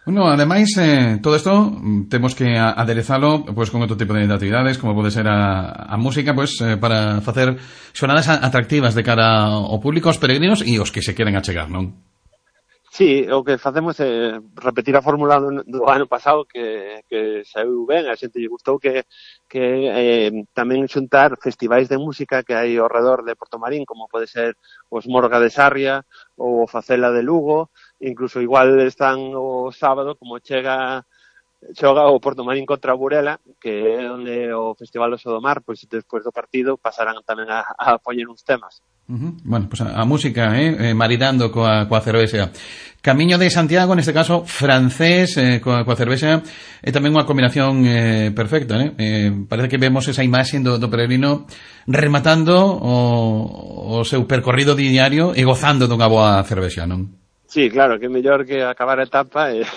Bueno, ademais, eh, todo isto temos que aderezalo pues, con outro tipo de actividades, como pode ser a, a música, pues, eh, para facer xornadas atractivas de cara ao público, aos peregrinos e os que se queren achegar, non? Sí, o que facemos é repetir a fórmula do, do ano pasado que, que saiu ben, a xente lle gustou que, que eh, tamén xuntar festivais de música que hai ao redor de Portomarín, como pode ser os Morga de Sarria ou o Facela de Lugo, incluso igual están o sábado como chega xoga o Portomarín contra a Burela, que é onde o Festival Oso do Mar, pois despois do partido pasarán tamén a, a poñer uns temas. Uh-huh. Bueno, pues a, a música, eh, eh maridando coa, coa cervexa. Camiño de Santiago, neste caso francés, eh, coa, coa cervexa, é tamén unha combinación eh, perfecta, eh? eh parece que vemos esa imaxe do, do peregrino rematando o, o seu percorrido diario e gozando dunha boa cervexa, non? Sí, claro, que é mellor que acabar a etapa e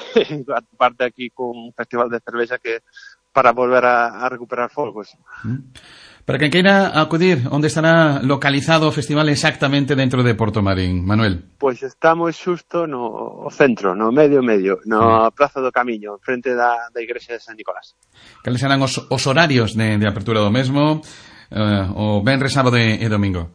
parte aquí con un festival de cervexa que para volver a, a recuperar folgos. Mm. Para quen queira acudir, onde estará localizado o festival exactamente dentro de Portomarín, Manuel? Pois estamos xusto no centro, no medio medio, no sí. Praza do Camiño, frente da, da igrexa de San Nicolás. Cales serán os, os horarios de, de apertura do mesmo, uh, o venres, sábado e, e domingo?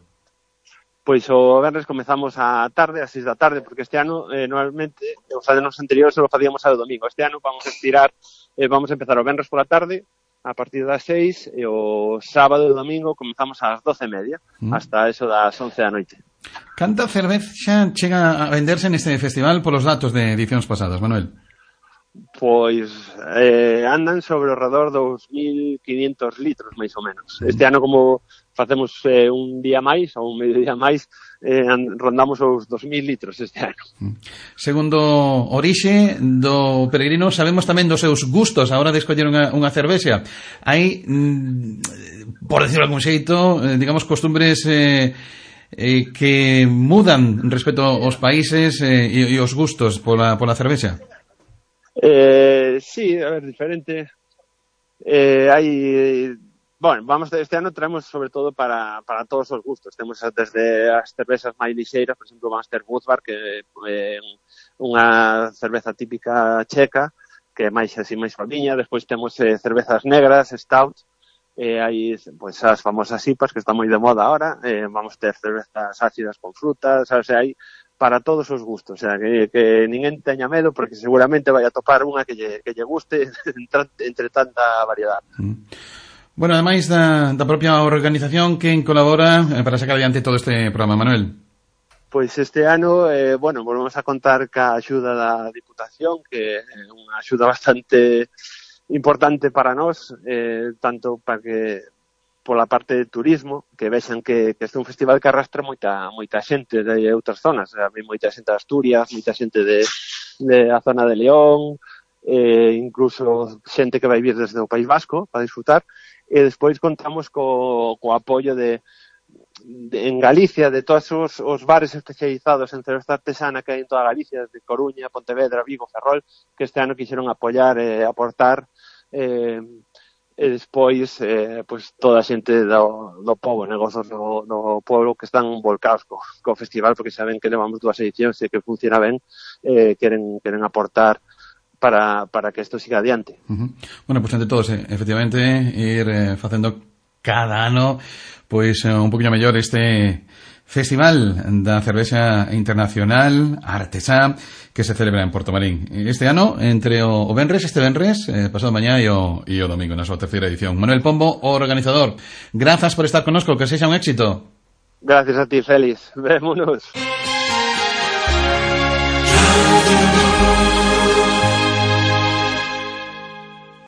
Pois o venres comezamos a tarde, a seis da tarde, porque este ano, eh, normalmente, os anos anteriores só facíamos ao domingo. Este ano vamos a estirar, eh, vamos a empezar o venres pola tarde, a partir das seis, e o sábado e o domingo comezamos ás doce e media, mm. hasta eso das once da noite. Canta cervexa chega a venderse neste festival polos datos de edicións pasadas, Manuel? Pois eh, andan sobre o redor dos mil quinientos litros, máis ou menos. Este ano, como facemos eh, un día máis, ou un medio día máis, eh, rondamos os dos mil litros este ano. Segundo orixe do peregrino, sabemos tamén dos seus gustos a hora de escoller unha, unha cervexa. Hai, mm, por decirlo de algún xeito, eh, digamos, costumbres eh, eh, que mudan respecto aos países eh, e, e os gustos pola, pola cervexa. Eh, sí, a ver, diferente. Eh, hai bueno, vamos, este ano traemos sobre todo para, para todos os gustos. Temos desde as cervezas máis lixeiras, por exemplo, Master Budvar, que é unha cerveza típica checa, que é máis así, máis suaviña. Despois temos eh, cervezas negras, stouts, eh, hai pues, as famosas I P As, que están moi de moda ahora. Eh, vamos ter cervezas ácidas con frutas, o sea, hai para todos os gustos, o sea, que, que ninguén teña medo, porque seguramente vai a topar unha que lle, que lle guste entre tanta variedade. Mm. Bueno, ademais da, da propia organización, quen colabora eh, para sacar adiante todo este programa, Manuel? Pois este ano, eh, bueno, volvemos a contar ca axuda da Diputación, que é unha axuda bastante importante para nós, eh, tanto para que pola parte de turismo, que vexan que, que este é un festival que arrastra moita moita xente de outras zonas, hai moita xente de Asturias, moita xente de, de a zona de León, eh, incluso xente que vai vir desde o País Vasco para disfrutar, e despois contamos co, co apoio de, de en Galicia de todos os, os bares especializados en cerveza artesana que hai en toda Galicia, de Coruña, Pontevedra, Vigo, Ferrol, que este ano quixeron apoiar e eh, aportar eh, e despois eh, pues, toda a xente do, do povo, negocios do, do povo que están volcados co, co festival, porque saben que levamos dúas edicións e que funciona ben, eh, queren, queren aportar para, para que isto siga adiante. Uh-huh. Bueno, pues entre todos, eh, efectivamente, ir eh, facendo cada ano pois pues, un poquinho mellor este Festival da Cervexa Internacional Artesá que se celebra en Portomarín. Este ano, entre o, o Benres, este Benres, eh, pasado mañá e o, e o domingo, na súa terceira edición. Manuel Pombo, o organizador, grazas por estar connosco, que sexa un éxito. Gracias a ti, Félix. Vémonos.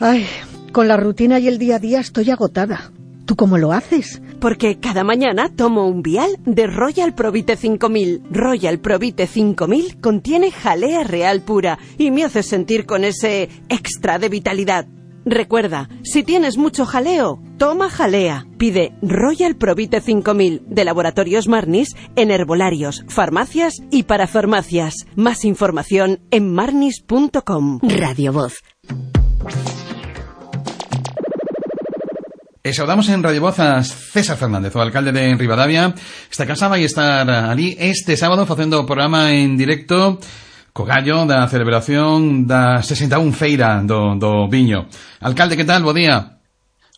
Ay, con la rutina y el día a día estoy agotada. ¿Tú cómo lo haces? Porque cada mañana tomo un vial de Royal Provite cinco mil. Royal Provite cinco mil contiene jalea real pura y me hace sentir con ese extra de vitalidad. Recuerda, si tienes mucho jaleo, toma jalea. Pide Royal Provite cinco mil de Laboratorios Marnis en herbolarios, farmacias y parafarmacias. Más información en marnis punto com. Radio Voz. E saudamos en Radio Voz a César Fernández, o alcalde de Ribadavia. Esta casa vai estar ali este sábado facendo o programa en directo co gallo da celebración da sesenta e un feira do, do viño. Alcalde, que tal? Bo día.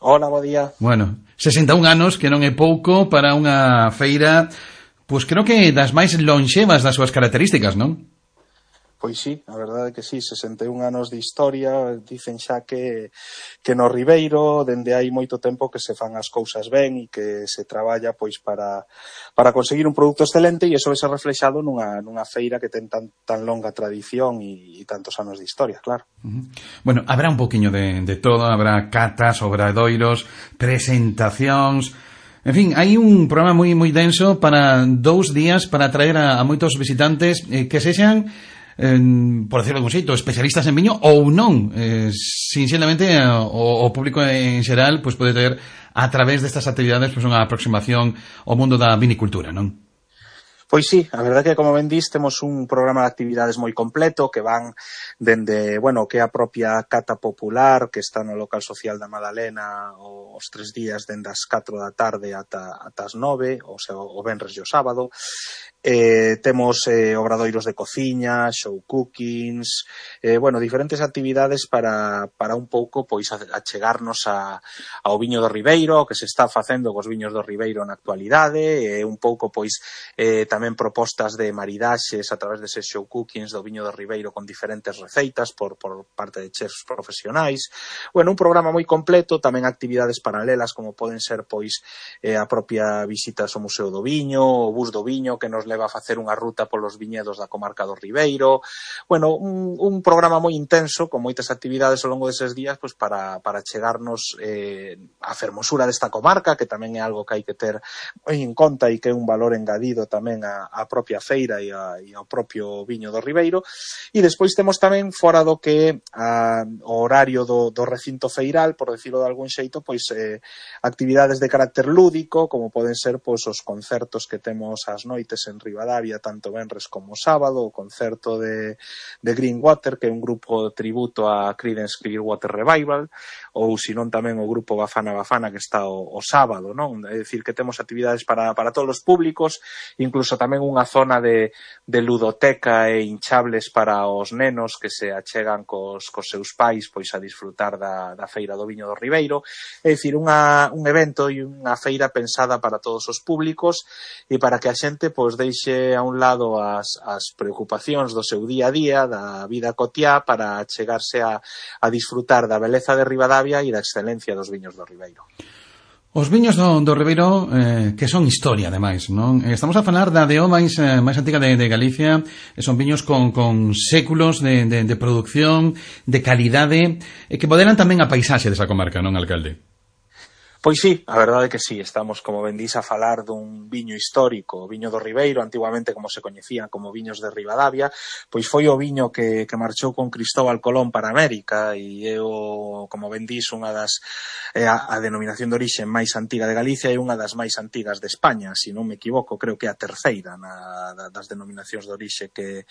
Hola, bo día. Bueno, sesenta e un anos, que non é pouco para unha feira, pois creo que das máis lonxevas das súas características, non? Pois sí, a verdade é que sí, sesenta e un anos de historia, dicen xa que, que no Ribeiro, dende hai moito tempo que se fan as cousas ben e que se traballa pois para, para conseguir un produto excelente, e iso vai ser reflexado nunha, nunha feira que ten tan, tan longa tradición e, e tantos anos de historia, claro. Uh-huh. Bueno, habrá un poquinho de, de todo, habrá catas, obradoiros, presentacións. En fin, hai un programa moi moi denso para dous días para atraer a, a moitos visitantes eh, que sexan En, por decirlo de algún xeito, especialistas en viño ou non, eh, sinceramente o, o público en xeral pues, pode ter a través destas actividades pues, unha aproximación ao mundo da vinicultura, non? Pois sí, a verdade é que, como ben dis, temos un programa de actividades moi completo que van dende, bueno, que é a propia cata popular que está no local social da Madalena os tres días dende as catro da tarde ata, ata as nove, o sea, o venres e o sábado. Eh, temos eh, obradoiros de cociña, show cookings, eh, bueno, diferentes actividades para, para un pouco pois achegarnos a, ao viño do Ribeiro, que se está facendo cos viños do Ribeiro na actualidade, e eh, un pouco pois eh, tamén propostas de maridaxes a través deses show cookings do viño do Ribeiro con diferentes receitas por, por parte de chefs profesionais. Bueno, un programa moi completo, tamén actividades paralelas como poden ser pois eh, a propia visitas ao Museo do Viño, o bus do Viño que nos leva a facer unha ruta polos viñedos da comarca do Ribeiro. Bueno, un, un programa moi intenso, con moitas actividades ao longo deses días, pois para, para chegarnos eh, a fermosura desta comarca, que tamén é algo que hai que ter en conta e que é un valor engadido tamén a, a propia feira e, a, e ao propio viño do Ribeiro. E despois temos tamén, fora do que a, o horario do, do recinto feiral, por decirlo de algún xeito, pois eh, actividades de carácter lúdico, como poden ser pois os concertos que temos ás noites en Ribadavia tanto venres como sábado, o concerto de, de Greenwater, que é un grupo de tributo a Creedence Clearwater Revival, ou senón tamén o grupo Bafana Bafana que está o, o sábado, non? É dicir, que temos actividades para, para todos os públicos, incluso tamén unha zona de, de ludoteca e hinchables para os nenos que se achegan cos, cos seus pais pois a disfrutar da, da Feira do Viño do Ribeiro. É dicir, unha, un evento e unha feira pensada para todos os públicos e para que a xente pois deixe a un lado as, as preocupacións do seu día a día, da vida cotiá, para chegarse a, a disfrutar da beleza de Ribadavia e da excelencia dos viños do Ribeiro. Os viños do, do Ribeiro, eh, que son historia, ademais, non? Estamos a falar da D O máis, eh, máis antiga de, de Galicia, e son viños con, con séculos de, de, de producción, de calidade, e que modelan tamén a paisaxe desa comarca, non, alcalde? Pois sí, a verdade é que sí, estamos, como ben dís, a falar dun viño histórico, o viño do Ribeiro, antiguamente como se coñecían como viños de Ribadavia, pois foi o viño que, que marchou con Cristóbal Colón para América e é o, como ben dís, unha das, é a, a denominación de orixe máis antiga de Galicia e unha das máis antigas de España, se non me equivoco, creo que é a terceira na, das denominacións de orixe que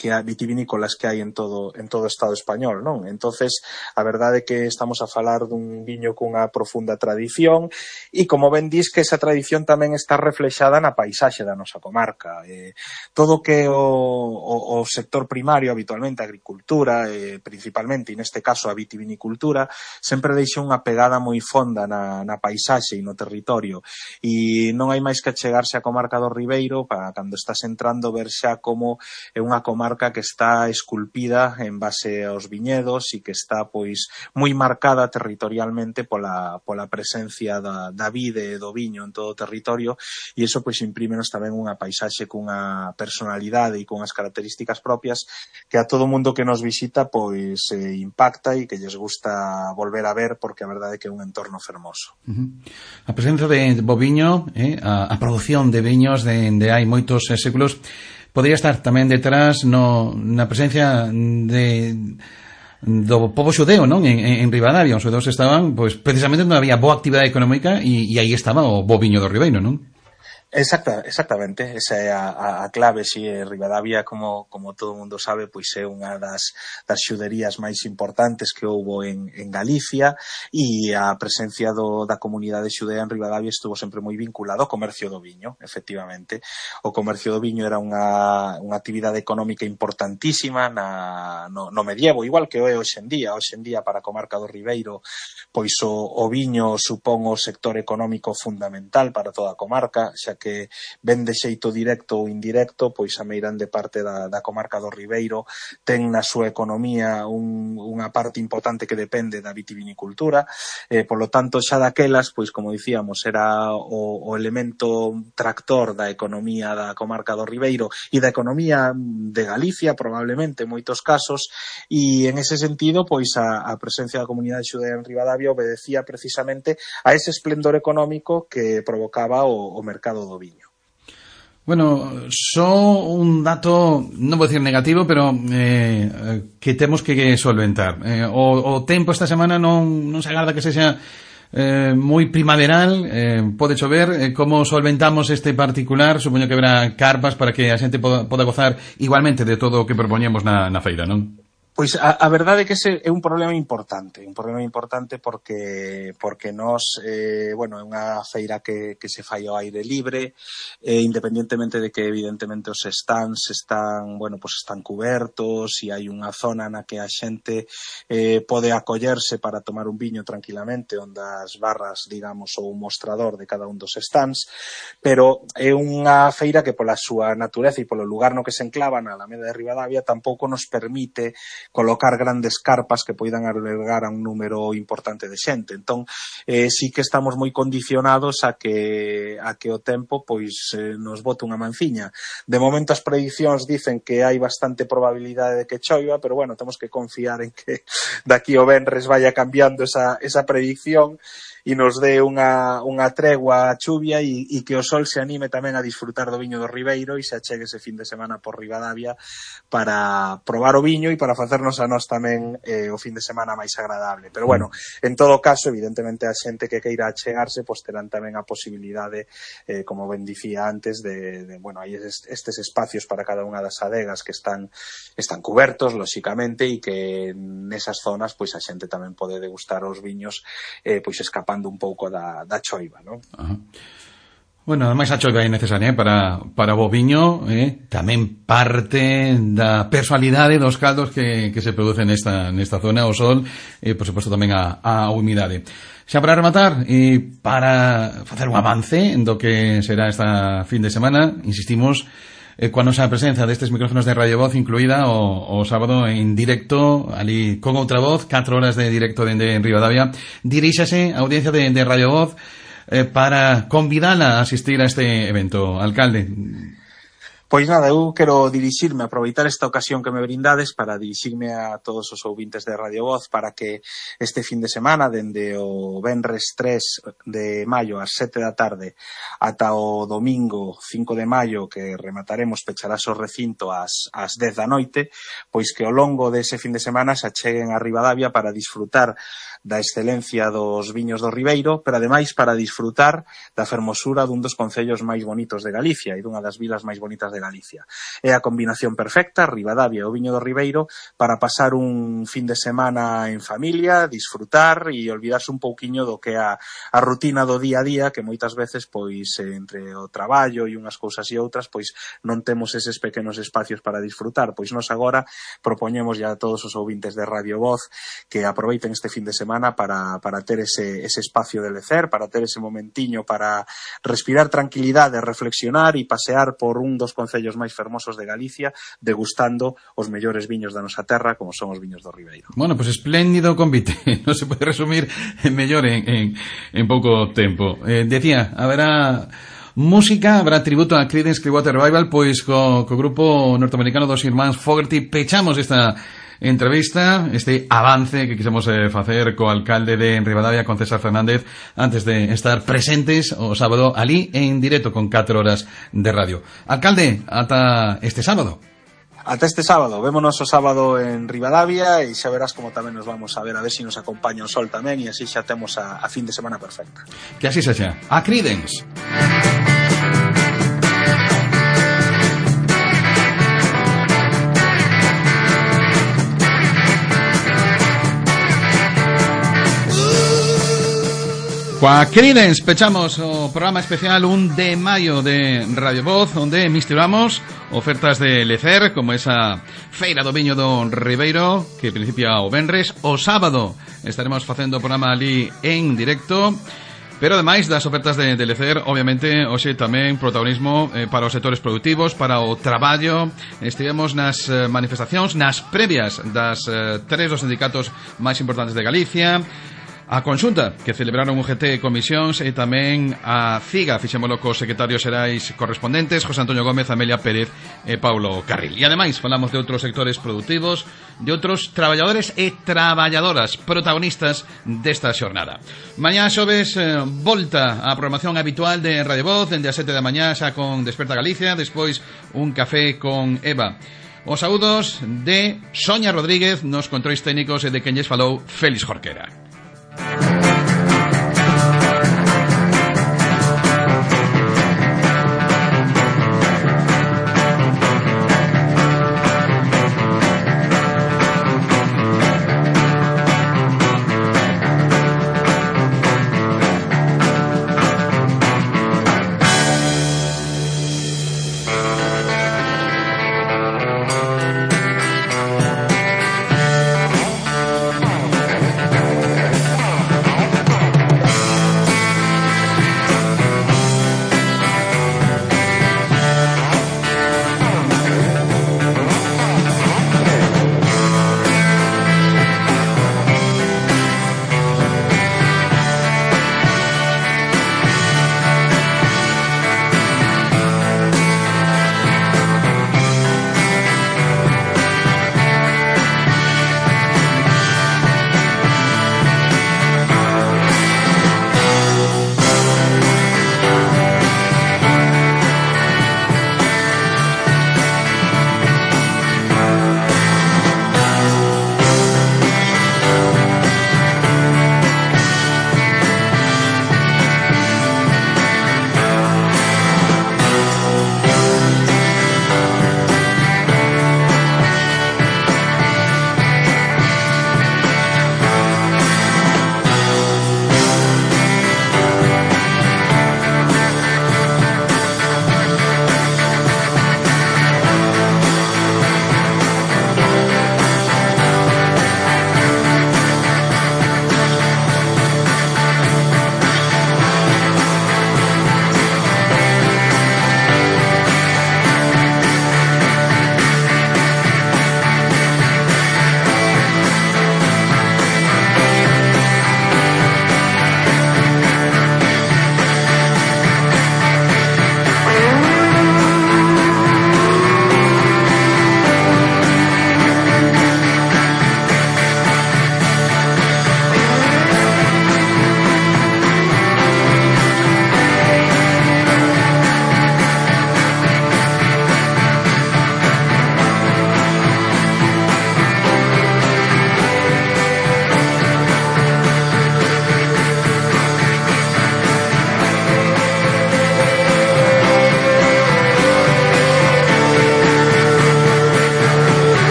que a vitivinícolas que hai en todo en todo o Estado español, non? Entonces, a verdade é que estamos a falar dun viño cunha profunda tradición e, como ben dís, que esa tradición tamén está reflexada na paisaxe da nosa comarca. Eh, todo que o, o, o sector primario, habitualmente a agricultura, eh, principalmente, e neste caso a vitivinicultura, sempre deixa unha pegada moi fonda na, na paisaxe e no territorio. E non hai máis que achegarse á comarca do Ribeiro para cando estás entrando ver xa como é unha comarca que está esculpida en base aos viñedos e que está pois moi marcada territorialmente pola, pola presencia da, da vide e do viño en todo o territorio, e iso pois imprímenos tamén unha paisaxe cunha personalidade e cunhas características propias que a todo mundo que nos visita pois eh, impacta e que lles gusta volver a ver, porque a verdade é que é un entorno fermoso. Uh-huh. A presenza de boviño, eh, a, a produción de viños de, de hai moitos eh, séculos, podría estar tamén detrás no, na presencia de do pobo xudeo, non? En, en Ribadavia, os xudeos estaban, pois, precisamente onde había boa actividade económica e, e aí estaba o boviño do Ribeiro, non? Exacta, exactamente, esa é a, a, a clave, si é Ribadavia, como, como todo mundo sabe, pois é unha das, das xuderías máis importantes que houbo en, en Galicia, e a presencia do, da comunidade xudea en Ribadavia estuvo sempre moi vinculado ao comercio do viño, efectivamente. O comercio do viño era unha, unha actividade económica importantísima na, no, no medievo, igual que o é hoxe en día. Hoxe en día, para a comarca do Ribeiro, pois o, o viño supón o sector económico fundamental para toda a comarca, xa que ven de xeito directo ou indirecto, pois a meirande parte da, da comarca do Ribeiro ten na súa economía un, unha parte importante que depende da vitivinicultura, eh, polo tanto xa daquelas, pois como dicíamos, era o, o elemento tractor da economía da comarca do Ribeiro e da economía de Galicia, probablemente, en moitos casos, e en ese sentido, pois a, a presencia da comunidade xudea en Ribadavia obedecía precisamente a ese esplendor económico que provocaba o, o mercado do viño. Bueno, só un dato, non vou dicir negativo, pero eh, que temos que solventar. Eh, o, o tempo esta semana non, non se agarda que sexa eh, moi primaveral, eh, pode chover. Eh, como solventamos este particular? Supoño que habrá carpas para que a xente poda, poda gozar igualmente de todo o que propoñemos na, na feira, non? Pois a, a verdade é que ese é un problema importante, un problema importante porque porque nós, eh, bueno, é unha feira que, que se fai ao aire libre, eh, independentemente de que evidentemente os stands están, bueno, pues están cubertos e hai unha zona na que a xente eh, pode acollerse para tomar un viño tranquilamente, onde as barras, digamos, ou un mostrador de cada un dos stands, pero é unha feira que pola súa natureza e polo lugar no que se enclava na Alameda de Ribadavia tampouco nos permite colocar grandes carpas que poidan albergar a un número importante de xente. Entón, eh, sí que estamos moi condicionados a que a que o tempo pois eh, nos bote unha manciña. De momento as predicións dicen que hai bastante probabilidade de que choiva, pero bueno, temos que confiar en que daqui o venres vaya cambiando esa, esa predicción e nos dé unha, unha tregua a chuvia e, e que o sol se anime tamén a disfrutar do viño do Ribeiro e se achegue ese fin de semana por Ribadavia para probar o viño e para facer facernos a nós tamén eh, o fin de semana máis agradable. Pero bueno, en todo caso, evidentemente a xente que queira achegarse, pois terán tamén a posibilidade, eh, como ben dicía antes, de, de bueno, hai estes espacios para cada unha das adegas que están están cubertos, lóxicamente, e que nesas zonas pois a xente tamén pode degustar os viños eh, pois escapando un pouco da, da choiva, non? Ajá. Bueno, ademais a choiva é necesaria, eh, para, para o viño, eh, tamén parte da personalidade dos caldos que, que se producen nesta, nesta zona, o sol, e, por suposto, tamén a, a humidade. Xa para rematar, e para facer un avance do que será esta fin de semana, insistimos, eh, coa nosa presencia destes micrófonos de Radio Voz, incluída o, o sábado en directo, ali con outra voz, catro horas de directo dende Ribadavia, diríxase a audiencia de, de Radio Voz, Eh, para convidala a asistir a este evento, alcalde. Pois nada, eu quero dirixirme, aproveitar esta ocasión que me brindades para dirixirme a todos os ouvintes de Radio Voz para que este fin de semana, dende o venres tres de maio ás sete da tarde ata o domingo cinco de maio, que remataremos, pecharás o recinto ás, ás dez da noite, pois que ao longo dese fin de semana se acheguen a Ribadavia para disfrutar da excelencia dos viños do Ribeiro, pero ademais para disfrutar da fermosura dun dos concellos máis bonitos de Galicia e dunha das vilas máis bonitas de Galicia. É a combinación perfecta, Ribadavia e o viño do Ribeiro, para pasar un fin de semana en familia, disfrutar e olvidarse un pouquiño do que é a, a rutina do día a día, que moitas veces, pois, entre o traballo e unhas cousas e outras, pois non temos eses pequenos espacios para disfrutar. Pois nos agora propoñemos ya a todos os ouvintes de Radio Voz que aproveiten este fin de semana para, para ter ese, ese espacio de lecer, para ter ese momentiño para respirar tranquilidade, reflexionar e pasear por un dos concellos máis fermosos de Galicia, degustando os mellores viños da nosa terra, como son os viños do Ribeiro. Bueno, pues espléndido convite, non se pode resumir mellor en, en, en pouco tempo. Eh, decía, haberá música, habrá tributo a Creedence Clearwater Revival, pois co, co grupo norteamericano dos irmáns Fogerty pechamos esta entrevista, este avance que quisemos eh, facer co alcalde de Ribadavia, con César Fernández, antes de estar presentes o sábado ali en directo con catro horas de radio. Alcalde, ata este sábado. Ata este sábado, vémonos o sábado en Ribadavia e xa verás como tamén nos vamos a ver, a ver se si nos acompaña o sol tamén, e así xa temos a, a fin de semana perfecta. Que así sexa. A Creedence. Coa Creedence pechamos o programa especial un de maio de Radio Voz, onde misturamos ofertas de lecer, como esa feira do viño do Ribeiro, que principia o venres. O sábado estaremos facendo o programa ali en directo, pero ademais das ofertas de, de lecer, obviamente, hoxe tamén protagonismo eh, para os sectores productivos, para o traballo. Estivemos nas eh, manifestacións, nas previas das eh, tres dos sindicatos máis importantes de Galicia, a consulta que celebraron U G T e Comisións, e tamén a CIGA, fixémolo cos secretarios xerais correspondentes, José Antonio Gómez, Amelia Pérez e Paulo Carril. E ademais falamos de outros sectores productivos, de outros traballadores e traballadoras protagonistas desta xornada. Mañá xoves, eh, volta á programación habitual de Radio Voz, dende as sete da mañá xa con Desperta Galicia, despois un café con Eva. Os saúdos de Sonia Rodríguez nos controis técnicos e de quen lles falou Félix Jorquera.